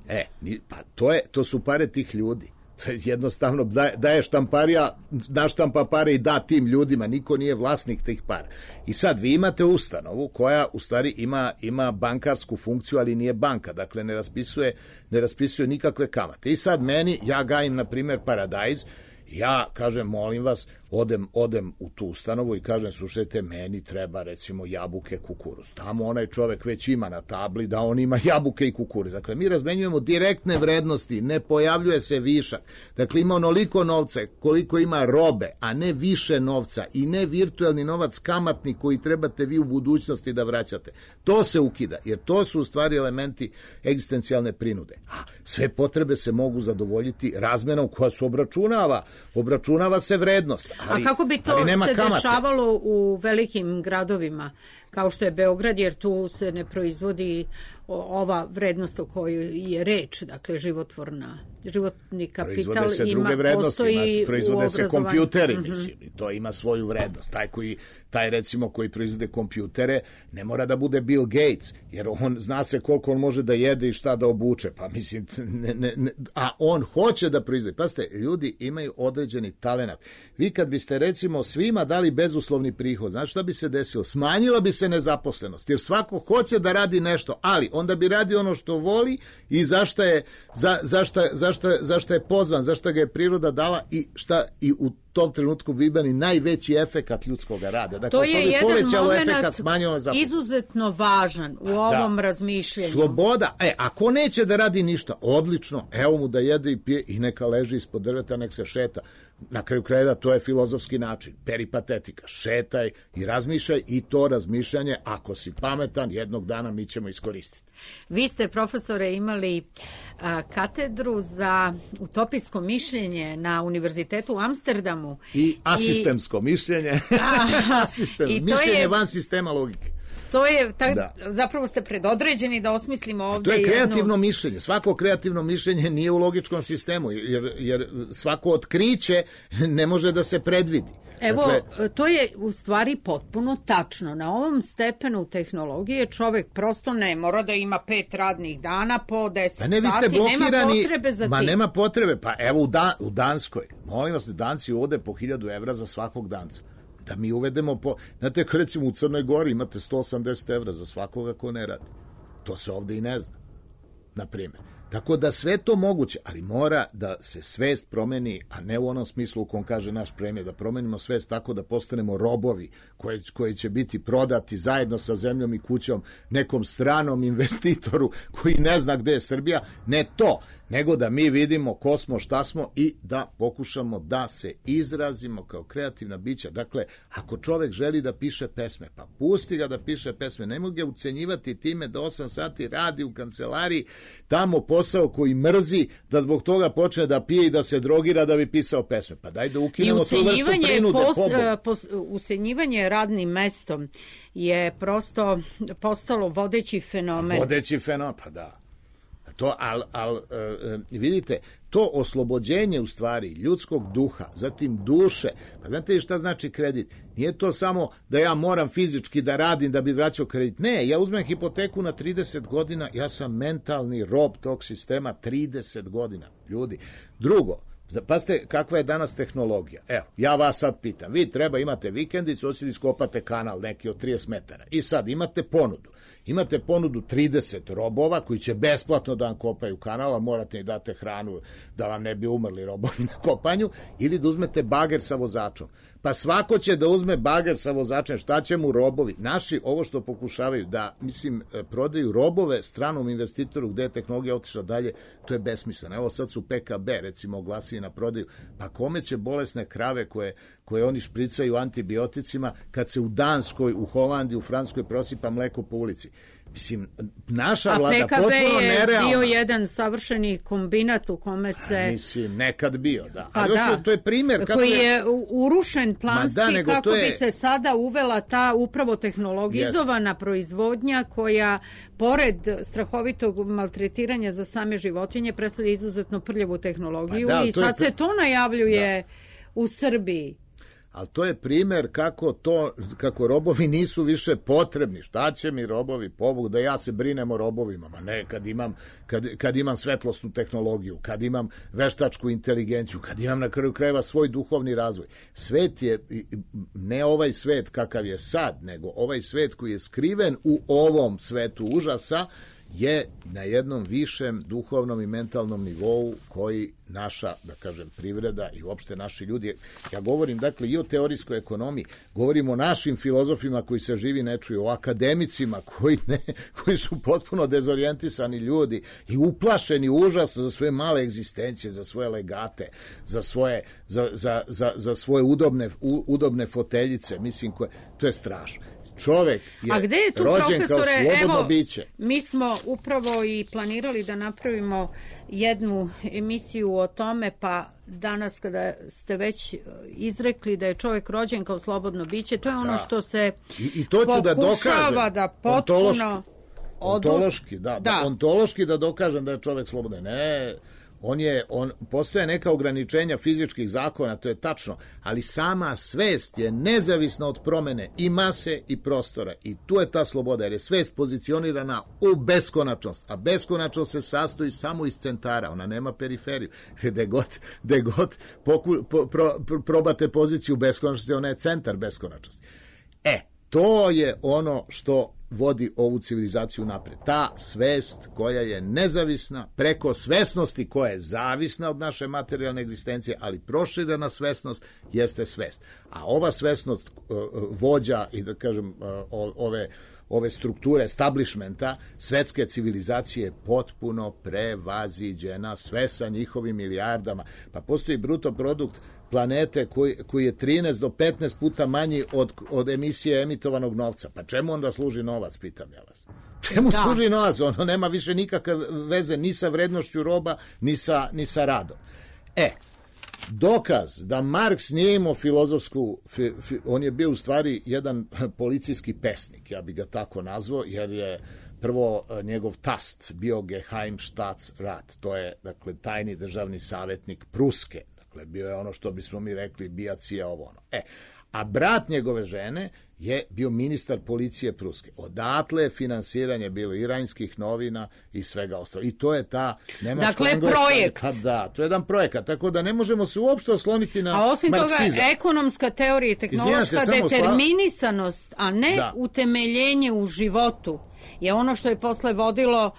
E, pa to, je, to su pare tih ljudi. To je jednostavno, daje, daje štamparija, naštampa pare i da tim ljudima, niko nije vlasnik tih para. I sad vi imate ustanovu koja u stvari ima, ima bankarsku funkciju, ali nije banka, dakle ne raspisuje, ne raspisuje nikakve kamate. I sad meni, ja gajim, na primjer, Paradajz, ja kažem, molim vas, odem, odem u tu ustanovu i kažem, slušajte, meni treba recimo jabuke, kukuruz. Tamo onaj čovek već ima na tabli da on ima jabuke i kukuruz. Dakle, mi razmenjujemo direktne vrednosti, ne pojavljuje se višak. Dakle, ima onoliko novca koliko ima robe, a ne više novca i ne virtualni novac kamatni koji trebate vi u budućnosti da vraćate. To se ukida, jer to su u stvari elementi egzistencijalne prinude. A sve potrebe se mogu zadovoljiti razmenom koja se obračunava. Obračunava se vrednost. Ali, a kako bi to se kamate. Dešavalo u velikim gradovima, kao što je Beograd, jer tu se ne proizvodi ova vrednost o kojoj je reč, dakle životvorna, životni kapital proizvode se ima, druge vrednosti, postoji ima, proizvode se kompjuteri, mm-hmm. mislim, i to ima svoju vrednost. Taj koji, taj recimo koji proizvode kompjutere ne mora da bude Bill Gates, jer on zna se koliko on može da jede i šta da obuče, pa mislim, ne, ne, ne, a on hoće da proizvode. Pazite, ljudi imaju određeni talenat. Vi kad biste recimo svima dali bezuslovni prihod, znači šta bi se desilo? Smanjila bi se nezaposlenost, jer svako hoće da radi nešto, ali onda bi radio ono što voli i zašta je, za, zašta, zašta, zašta je pozvan, zašta ga je priroda dala i šta i u tom trenutku bi imali najveći efekat ljudskog rada. Dakle, to je to jedan moment izuzetno važan u ovom da. razmišljenju. Sloboda, e, ako neće da radi ništa, odlično, evo mu da jede i pije i neka leži ispod drveta, nek se šeta. Na kraju krajeva to je filozofski način, peripatetika, šetaj i razmišljaj i to razmišljanje, ako si pametan, jednog dana mi ćemo iskoristiti. Vi ste, profesore, imali a, katedru za utopijsko mišljenje na Univerzitetu u Amsterdamu. I asistemsko I, mišljenje, a, Asistem, i mišljenje je, van sistema logike. To je, tak, da. zapravo ste predodređeni da osmislimo ovdje. To je kreativno jednu... mišljenje. Svako kreativno mišljenje nije u logičkom sistemu, jer, jer svako otkriće ne može da se predvidi. Evo, dakle, to je u stvari potpuno tačno. Na ovom stepenu tehnologije čovjek prosto ne mora da ima pet radnih dana po deset pa ne, vi ste sati, blokirani, nema potrebe za ma tim. nema potrebe, pa evo u, da, u Danskoj, molim vas, Danci uvode po hiljadu evra za svakog danca. Da mi uvedemo po... Znate, recimo u Crnoj Gori imate sto osamdeset evra za svakoga ko ne radi. To se ovde i ne zna, na primjer. Tako da sve to moguće, ali mora da se svest promeni, a ne u onom smislu u kom kaže naš premijer, da promenimo svest tako da postanemo robovi koji, koji će biti prodati zajedno sa zemljom i kućom nekom stranom investitoru koji ne zna gde je Srbija. Ne to, nego da mi vidimo ko smo, šta smo i da pokušamo da se izrazimo kao kreativna bića. Dakle, ako čovek želi da piše pesme, pa pusti ga da piše pesme, ne mogu ga ucenjivati time da osam sati radi u kancelariji, tamo posao koji mrzi, da zbog toga počne da pije i da se drogira da bi pisao pesme. Pa daj da ukinemo tu vrstu prinude. Pos, pos, ucenjivanje radnim mestom je prosto postalo vodeći fenomen. Vodeći fenomen, pa da. To, al, al, e, vidite, to oslobođenje u stvari ljudskog duha, zatim duše, pa znate li šta znači kredit? Nije to samo da ja moram fizički da radim da bi vraćao kredit. Ne, ja uzmem hipoteku na trideset godina, ja sam mentalni rob tog sistema trideset godina, ljudi. Drugo, pazite kakva je danas tehnologija. Evo, ja vas sad pitam, vi treba imate vikendicu, hoćete iskopate kanal neki od trideset metara i sad imate ponudu. Imate ponudu trideset robova koji će besplatno da vam kopaju kanal, a morate i date hranu da vam ne bi umrli robovi na kopanju, ili da uzmete bager sa vozačom. Pa svako će da uzme bager sa vozačem, šta će mu robovi? Naši ovo što pokušavaju da, mislim, prodaju robove stranom investitoru gde je tehnologija otišla dalje, to je besmisleno. Evo sad su P K B recimo oglasili na prodaju, pa kome će bolesne krave koje, koje oni špricaju antibioticima kad se u Danskoj, u Holandiji, u Francuskoj prosipa mleko po ulici? Mislim, naša vlada potpuno nerealna. A P K B je bio jedan savršeni kombinat u kome se... A, mislim, nekad bio, da. Pa ali da, to je primjer kako koji je urušen planski, da, kako je... bi se sada uvela ta upravo tehnologizovana yes. proizvodnja koja, pored strahovitog maltretiranja za same životinje, predstavlja izuzetno prljavu tehnologiju. Pa da, i sad je... se to najavljuje da. u Srbiji. Ali to je primjer kako to, kako robovi nisu više potrebni. Šta će mi robovi, pobog, da ja se brinem o robovima? Ma ne, kad imam, kad, kad imam svetlosnu tehnologiju, kad imam veštačku inteligenciju, kad imam na kraju krajeva svoj duhovni razvoj. Svet je, ne ovaj svet kakav je sad, nego ovaj svet koji je skriven u ovom svetu užasa, je na jednom višem duhovnom i mentalnom nivou koji naša, da kažem, privreda i uopšte naši ljudi, ja govorim dakle i o teorijskoj ekonomiji, govorim o našim filozofima koji se živi ne čuju, o akademicima koji, ne, koji su potpuno dezorijentisani ljudi i uplašeni užasno za svoje male egzistencije, za svoje legate, za svoje, za, za, za, za svoje udobne, u, udobne foteljice, mislim, koje, to je strašno. Čovek je, A gde je tu, rođen kao slobodno evo, biće. Mi smo upravo i planirali da napravimo jednu emisiju o tome, pa danas kada ste već izrekli da je čovjek rođen kao slobodno biće, to je ono da. što se I, i to ću pokušava da, da potpuno... Ontološki, ontološki, da, da. da, ontološki da dokažem da je čovjek slobodan. Ne, on je, on, postoje neka ograničenja fizičkih zakona, to je tačno, ali sama svest je nezavisna od promene i mase i prostora i tu je ta sloboda, jer je svest pozicionirana u beskonačnost, a beskonačnost se sastoji samo iz centara, ona nema periferiju, gde god, gde god poku, po, pro, pro, probate poziciju beskonačnosti, ona je centar beskonačnosti. E, to je ono što vodi ovu civilizaciju napred. Ta svest koja je nezavisna preko svesnosti koja je zavisna od naše materijalne egzistencije, ali proširena svesnost jeste svest. A ova svesnost uh, vođa i da kažem uh, ove ove strukture establishmenta svetske civilizacije potpuno prevaziđena, sve sa njihovim milijardama. Pa postoji bruto produkt planete koji, koji je trinaest do petnaest puta manji od, od emisije emitovanog novca. Pa čemu onda služi novac, pitam ja vas? Čemu da. služi novac? Ono nema više nikakve veze ni sa vrednošću roba, ni sa, ni sa radom. E, dokaz da Marks nije imao filozofsku, fi, fi, on je bio u stvari jedan policijski pesnik, ja bih ga tako nazvao, jer je prvo njegov tast bio Geheimstaatsrat, to je dakle tajni državni savjetnik Pruske, dakle bio je ono što bismo mi rekli bijacija ovo ono. E, a brat njegove žene je bio ministar policije Pruske. Odatle je finansiranje bilo iranskih novina i svega ostalo. I to je ta nemačka dakle, engleska... projekt. Pa da, to je jedan projekat. Tako da ne možemo se uopšte osloniti na marksizam. A osim marksizam. toga, ekonomska teorija i tehnološka determinisanost, a ne da. utemeljenje u životu, je ono što je posle vodilo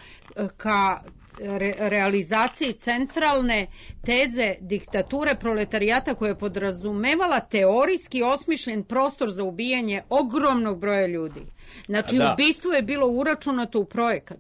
ka Re, realizaciji centralne teze diktature proletarijata koja je podrazumevala teorijski osmišljen prostor za ubijanje ogromnog broja ljudi. Znači, da. ubistvo je bilo uračunato u projekat.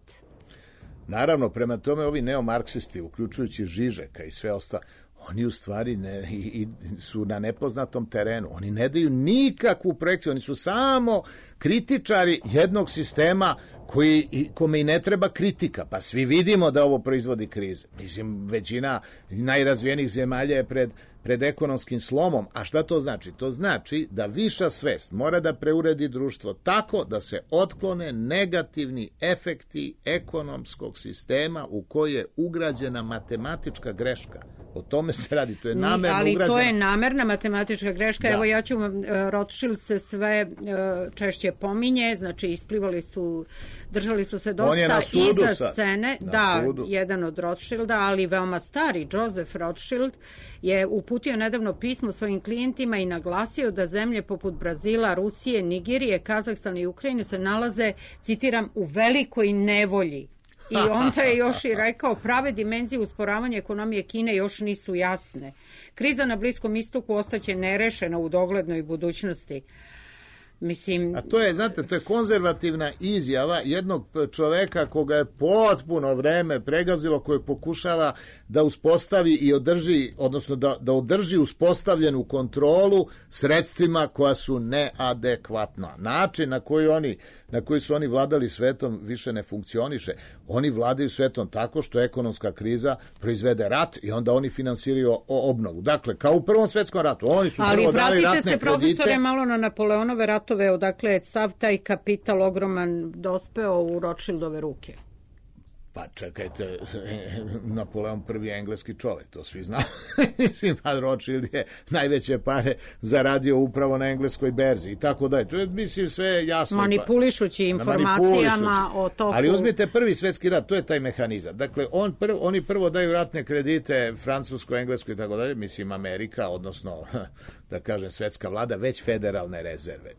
Naravno, prema tome ovi neomarksisti, uključujući Žižeka i sve ostalo, oni u stvari ne, i, i su na nepoznatom terenu. Oni ne daju nikakvu projekciju, oni su samo kritičari jednog sistema koji, kome i ne treba kritika. Pa svi vidimo da ovo proizvodi krize. Mislim, većina najrazvijenijih zemalja je pred, pred ekonomskim slomom. A šta to znači? To znači da viša svest mora da preuredi društvo tako da se otklone negativni efekti ekonomskog sistema u koji je ugrađena matematička greška. O tome se radi, to je namerno ali ugrađeno. Ali to je namerna matematička greška. Da. Evo ja ću, Rothschild se sve češće pominje, znači isplivali su, držali su se dosta iza sad. scene. Da, sudu. Jedan od Rothschilda, ali veoma stari, Joseph Rothschild, je uputio nedavno pismo svojim klijentima i naglasio da zemlje poput Brazila, Rusije, Nigerije, Kazahstana i Ukrajine se nalaze, citiram, u velikoj nevolji. I onda je još i rekao, prave dimenzije usporavanja ekonomije Kine još nisu jasne. Kriza na Bliskom istoku ostaće nerešena u doglednoj budućnosti. Mislim... A to je, znate, to je konzervativna izjava jednog čoveka koga je potpuno vreme pregazilo, koji pokušava da uspostavi i održi, odnosno da, da održi uspostavljenu kontrolu sredstvima koja su neadekvatna. Način na koji oni, na koji su oni vladali svetom više ne funkcioniše. Oni vladaju svetom tako što ekonomska kriza proizvede rat i onda oni finansiraju obnovu. Dakle, kao u Prvom svetskom ratu. Oni su ali prvo dali ratne kredite. Ali vratite se, profesore, malo na Napoleonove ratove, odakle je sav taj kapital ogroman dospeo u Rothschildove ruke. Pa čekajte, Napoleon prvi je engleski čovjek, to svi znamo. Mislim, pa Rothschild je najveće pare zaradio upravo na engleskoj berzi i tako da je. To je, mislim, sve jasno. Manipulišući informacijama o toku. Ali uzmite prvi svjetski rat, to je taj mehanizam. Dakle, on prv, oni prvo daju ratne kredite Francuskoj, Engleskoj i tako dalje, mislim Amerika, odnosno, da kažem, svetska vlada, već federalne rezerve.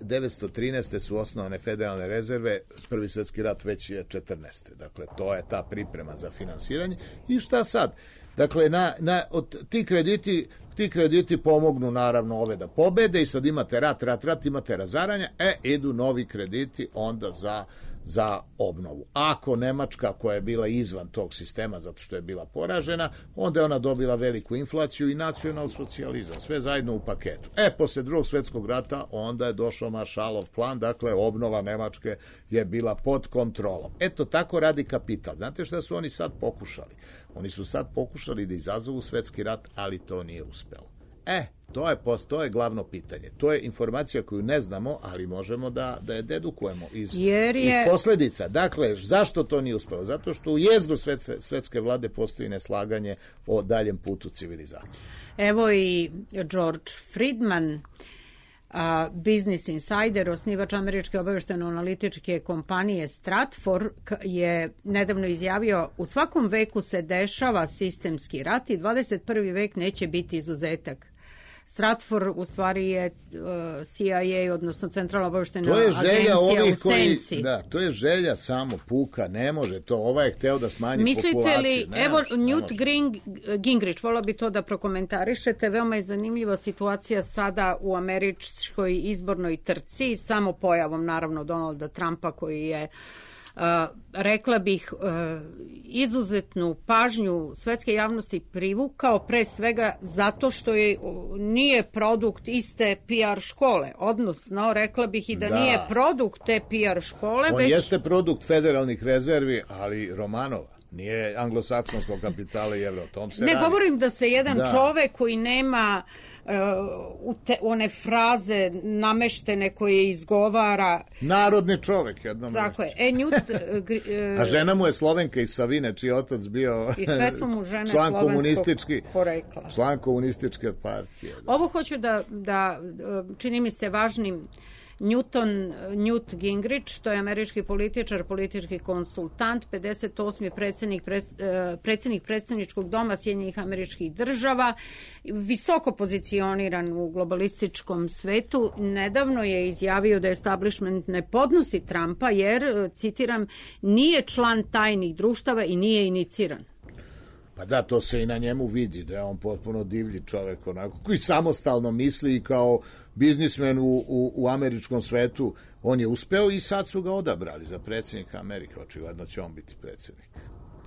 devetsto trinaeste su osnovane federalne rezerve, prvi svjetski rat već je četrnaeste. Dakle, to je ta priprema za finansiranje. I šta sad? Dakle, na, na, od, ti, krediti, ti krediti pomognu naravno ove da pobede i sad imate rat, rat, rat, imate razaranja, e, idu novi krediti onda za, za obnovu. Ako Nemačka, koja je bila izvan tog sistema zato što je bila poražena, onda je ona dobila veliku inflaciju i nacionalsocijalizam, sve zajedno u paketu. E, posle drugog svjetskog rata onda je došao Maršalov plan, dakle, obnova Nemačke je bila pod kontrolom. Eto, tako radi kapital. Znate šta su oni sad pokušali? Oni su sad pokušali da izazovu svetski rat, ali to nije uspelo. E, to je, to je glavno pitanje. To je informacija koju ne znamo, ali možemo da, da je dedukujemo iz, je... iz posljedica. Dakle, zašto to nije uspelo? Zato što u jezgru svetske, svetske vlade postoji neslaganje o daljem putu civilizacije. Evo i George Friedman, a, Business Insider, osnivač američke obavještajno-analitičke kompanije Stratfor, je nedavno izjavio: u svakom veku se dešava sistemski rat i dvadeset prvi vek neće biti izuzetak. Stratfor u stvari je uh, C I A, odnosno Centralna obavještajna agencija u senci. Da, to je želja samo puka, ne može to. Ovaj je hteo da smanji Mislite populaciju. Mislite li, evo Newt Gring, Gingrich, volio bi to da prokomentarišete, veoma je zanimljiva situacija sada u američkoj izbornoj trci, samo pojavom naravno Donalda Trumpa koji je Uh, rekla bih uh, izuzetnu pažnju svetske javnosti privukao pre svega zato što je uh, nije produkt iste P R škole, odnosno rekla bih i da, da. nije produkt te P R škole. On već... jeste produkt federalnih rezervi, ali Romanova. Nije anglosaksonskog kapitala i evro, o tom se Ne radi. govorim da se jedan da. čovek koji nema uh, te, one fraze nameštene koje izgovara... Narodni čovek, jednom. Tako je. E, Newt, uh, A žena mu je Slovenka iz Savine, čiji otac bio i sve su mu žene član komunistički, porekla. Član komunističke partije. Da. Ovo hoću da, da čini mi se važnim. Newton, Newt Gingrich, to je američki političar, politički konsultant, pedeset osmi predsjednik, predsjednik predstavničkog doma Sjedinjenih Američkih Država, visoko pozicioniran u globalističkom svetu. Nedavno je izjavio da establishment ne podnosi Trumpa jer, citiram, nije član tajnih društava i nije iniciran. Pa da, to se i na njemu vidi, da je on potpuno divlji čovjek, onako, koji samostalno misli i kao biznismen u, u, u američkom svetu, on je uspeo i sad su ga odabrali za predsjednika Amerike, očigledno će on biti predsjednik.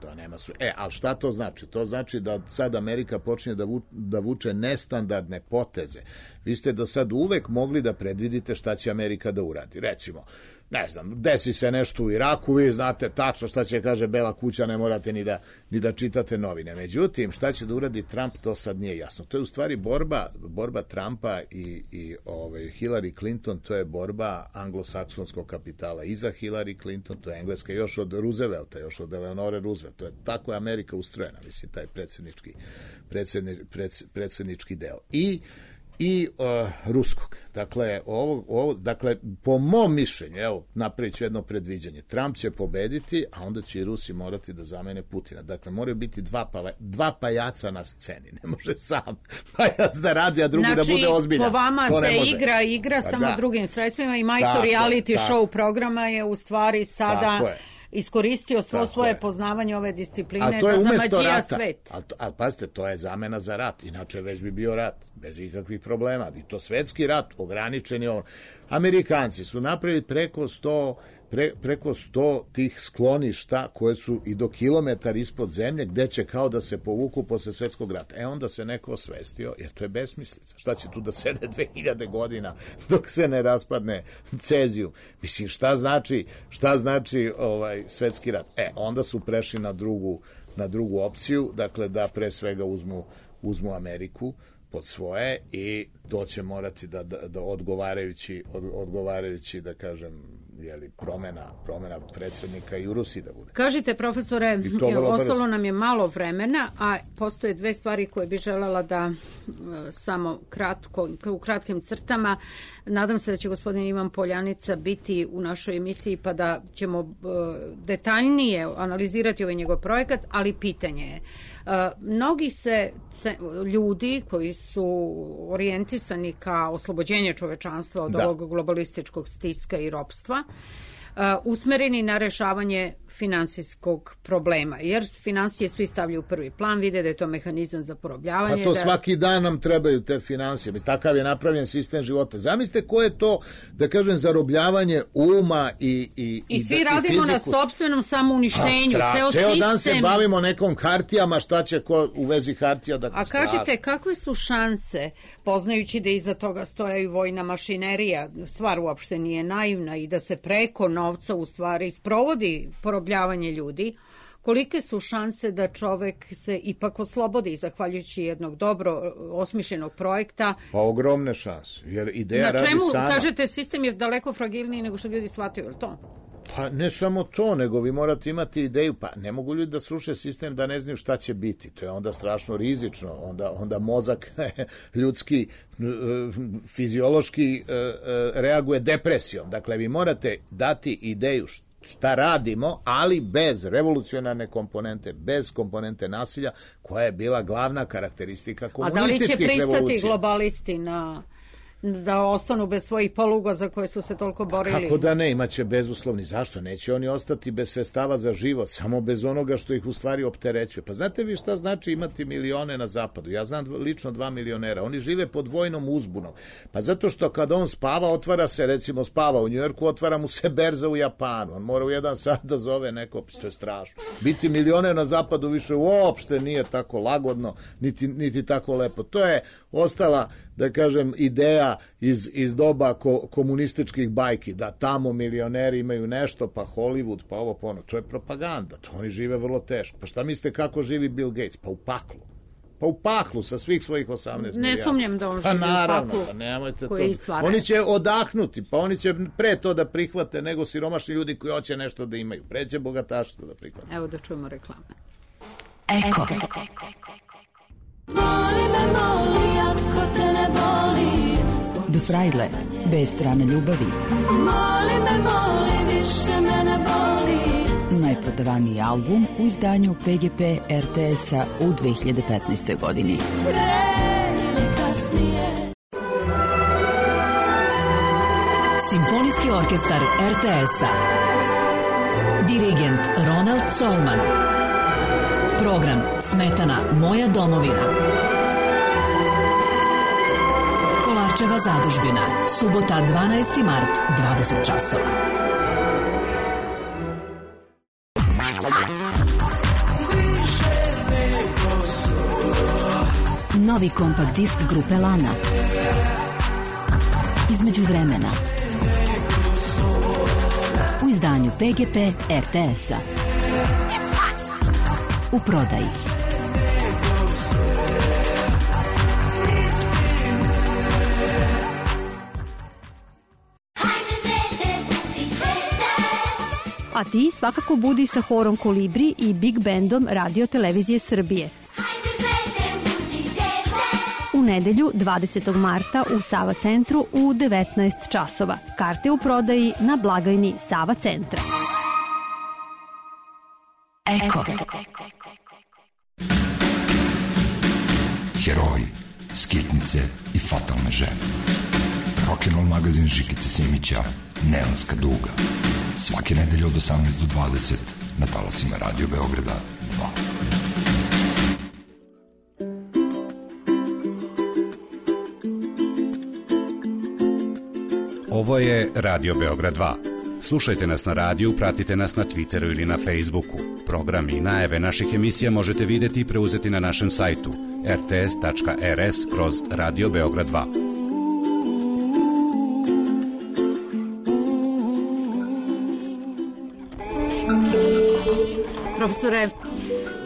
To nema su... E, ali šta to znači? To znači da sad Amerika počinje da, vu, da vuče nestandardne poteze. Vi ste do sad uvek mogli da predvidite šta će Amerika da uradi. Recimo, ne znam, desi se nešto u Iraku, vi znate tačno šta će, kaže Bela kuća, ne morate ni da, ni da čitate novine. Međutim, šta će da uradi Trump, to sad nije jasno. To je u stvari borba, borba Trumpa i, i ovaj, Hillary Clinton, to je borba anglosaksonskog kapitala. I za Hillary Clinton, to je Engleska još od Roosevelta, još od Eleonore Roosevelt. To je tako je Amerika ustrojena, mislim, taj predsjednički, predsjedni, predsjednički deo. I i uh, ruskog. Dakle, ovo, ovo, dakle, po mom mišljenju, evo, napravit ću jedno predviđanje. Trump će pobediti, a onda će i Rusi morati da zamene Putina. Dakle, moraju biti dva, pa, dva pajaca na sceni. Ne može sam pajac da radi, a drugi znači, da bude ozbiljan. Po vama to se igra, igra pa samo da. drugim sredstvima i majstor reality tako. show programa je u stvari sada... iskoristio svo Tako svoje je. poznavanje ove discipline da zamađija svet. Ali, ali pazite, to je zamena za rat. Inače već bi bio rat, bez ikakvih problema. I to svetski rat, ograničen je on. Amerikanci su napravili preko sto, pre, preko sto tih skloništa koje su i do kilometar ispod zemlje, gde će kao da se povuku posle svetskog rata. E onda se neko osvestio, jer to je besmislica. Šta će tu da sede dve hiljade godina dok se ne raspadne Cezijum? Mislim, šta znači, šta znači ovaj svetski rat? E, onda su prešli na drugu, na drugu opciju, dakle da pre svega uzmu, uzmu Ameriku pod svoje i to će morati da, da, da odgovarajući, od, odgovarajući, da kažem, jeli, promena, promena predsjednika i u Rusiji da bude. Kažite, profesore, ostalo nam je malo vremena, a postoje dve stvari koje bi želela da samo kratko, u kratkim crtama. Nadam se da će gospodin Ivan Poljanica biti u našoj emisiji pa da ćemo detaljnije analizirati ovaj njegov projekat, ali pitanje je, mnogi se ljudi koji su orijentisani ka oslobođenju čovečanstva od da. ovog globalističkog stiska i ropstva, usmereni na rešavanje finansijskog problema, jer finansije svi stavljaju u prvi plan, vide da je to mehanizam za porobljavanje. Pa to da... svaki dan nam trebaju te finansije. Takav je napravljen sistem života. Zamislite ko je to, da kažem, zarobljavanje uma i i I svi i radimo i na sopstvenom samouništenju. Ceo, Ceo sistem... dan se bavimo nekom hartijama, šta će ko u vezi hartija da... A kažite, kakve su šanse, poznajući da iza toga stoja i vojna mašinerija, stvar uopšte nije naivna i da se preko novca u stvari sprovodi porobljavanje ljudi, kolike su šanse da čovek se ipak oslobodi zahvaljujući jednog dobro osmišljenog projekta? Pa ogromne šanse, jer ideja radi sama. Na čemu, kažete, sistem je daleko fragilniji nego što ljudi shvataju, je li to? Pa ne samo to, nego vi morate imati ideju, pa ne mogu ljudi da sruše sistem da ne znaju šta će biti, to je onda strašno rizično, onda, onda mozak ljudski, fiziološki reaguje depresijom, dakle vi morate dati ideju šta radimo, ali bez revolucionarne komponente, bez komponente nasilja, koja je bila glavna karakteristika komunističkih revolucija. A da li će pristati globalisti na... da ostanu bez svojih poluga za koje su se toliko borili? Kako da ne, imaće bezuslovni. Zašto? Neće oni ostati bez sredstava za život, samo bez onoga što ih u stvari opterećuje. Pa znate vi šta znači imati milione na zapadu? Ja znam lično dva milionera. Oni žive pod vojnom uzbunom. Pa zato što kad on spava, otvara se, recimo spava u Njujorku, otvara mu se berza u Japanu. On mora u jedan sat da zove neko, što je strašno. Biti milioner na zapadu više uopšte nije tako lagodno, niti, niti tako lepo. To je ostala, da kažem, ideja iz, iz doba ko, komunističkih bajki, da tamo milioneri imaju nešto, pa Hollywood, pa ovo, pa ono. To je propaganda, to oni žive vrlo teško. Pa šta mislite kako živi Bill Gates? Pa u paklu. Pa u paklu sa svih svojih osamnaest milijardi. Ne sumnjam da on pa živi naravno, u paklu pa nemojte to. Stvara. Oni će odahnuti, pa oni će pre to da prihvate nego siromašni ljudi koji hoće nešto da imaju. Pre će bogataštvo da prihvate. Evo da čujemo reklame. Eko. Moli me, moli, ako te ne boli. Do Frajle, bez strane ljubavi. Moli me, moli, više me ne boli. Najprodavaniji album u izdanju P G P R T S-a u dve hiljade petnaestoj. godini. Pre ili kasnije. Simfonijski orkestar R T S-a. Dirigent Ronald Colman. Program Smetana Moja domovina. Kolarčeva zadužbina. Subota dvanaesti mart, dvadeset časova. Novi kompakt disk grupe Lana. Između vremena. U izdanju P G P R T S-a. U prodaji. A ti svakako budi sa horom Kolibri i Big Bandom Radio Televizije Srbije. U nedelju dvadesetog marta u Sava centru u devetnaest časova. Karte u prodaji na blagajni Sava centra. Eko. Heroji, skitnice i fatalne žene. Rock'n'roll magazin Žikice Simića, Neonska duga. Svake nedelje od osamnaest do dvadeset na talasima Radio Beograda dva. Ovo je Radio Beograd dva. Slušajte nas na radiju, pratite nas na Twitteru ili na Facebooku. Programi i najave naših emisija možete vidjeti i preuzeti na našem sajtu r t s tačka r s kroz Radio Beograd dva. Profesore,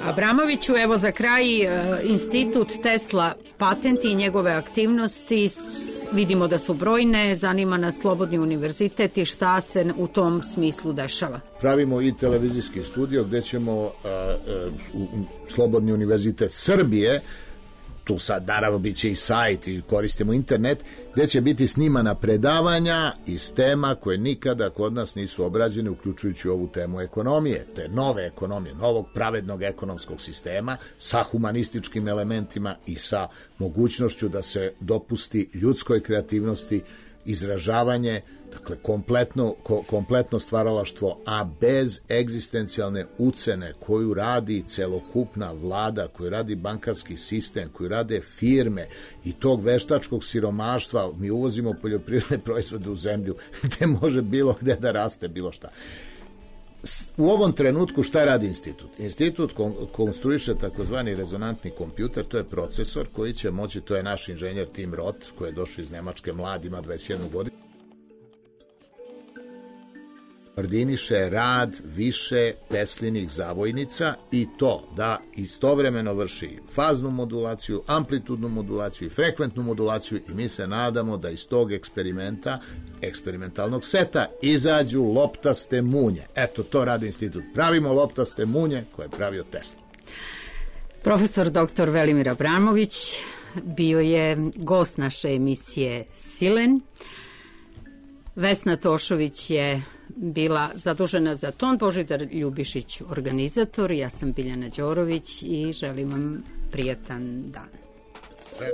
Abramoviću. Evo za kraj, e, institut Tesla patenti i njegove aktivnosti s- vidimo da su brojne, zanima nas Slobodni univerzitet i šta se u tom smislu dešava. Pravimo i televizijski studio gde ćemo a, a, u, u Slobodni univerzitet Srbije, tu sad naravno bit će i sajt i koristimo internet, gde će biti snimana predavanja iz tema koje nikada kod nas nisu obrađene, uključujući ovu temu ekonomije, te nove ekonomije, novog pravednog ekonomskog sistema sa humanističkim elementima i sa mogućnošću da se dopusti ljudskoj kreativnosti izražavanje, dakle kompletno, ko, kompletno stvaralaštvo, a bez egzistencijalne ucene koju radi celokupna vlada, koju radi bankarski sistem, koju rade firme i tog veštačkog siromaštva. Mi uvozimo poljoprivredne proizvode u zemlju gde može bilo gde da raste bilo šta. U ovom trenutku šta radi institut? Institut konstruiše takozvani rezonantni kompjuter, to je procesor koji će moći, to je naš inženjer Tim Roth, koji je došao iz Nemačke, mlad, ima dvadeset jednu godinu, koordiniše rad više Teslinih zavojnica i to da istovremeno vrši faznu modulaciju, amplitudnu modulaciju i frekventnu modulaciju i mi se nadamo da iz tog eksperimenta, eksperimentalnog seta, izađu loptaste munje. Eto, to radi institut. Pravimo loptaste munje koje je pravio Tesla. Profesor doktor Velimir Abramović bio je gost naše emisije Silen. Vesna Tošović je bila zadužena za ton, Božidar Ljubišić organizator, ja sam Biljana Đorović i želim vam prijatan dan. Sve.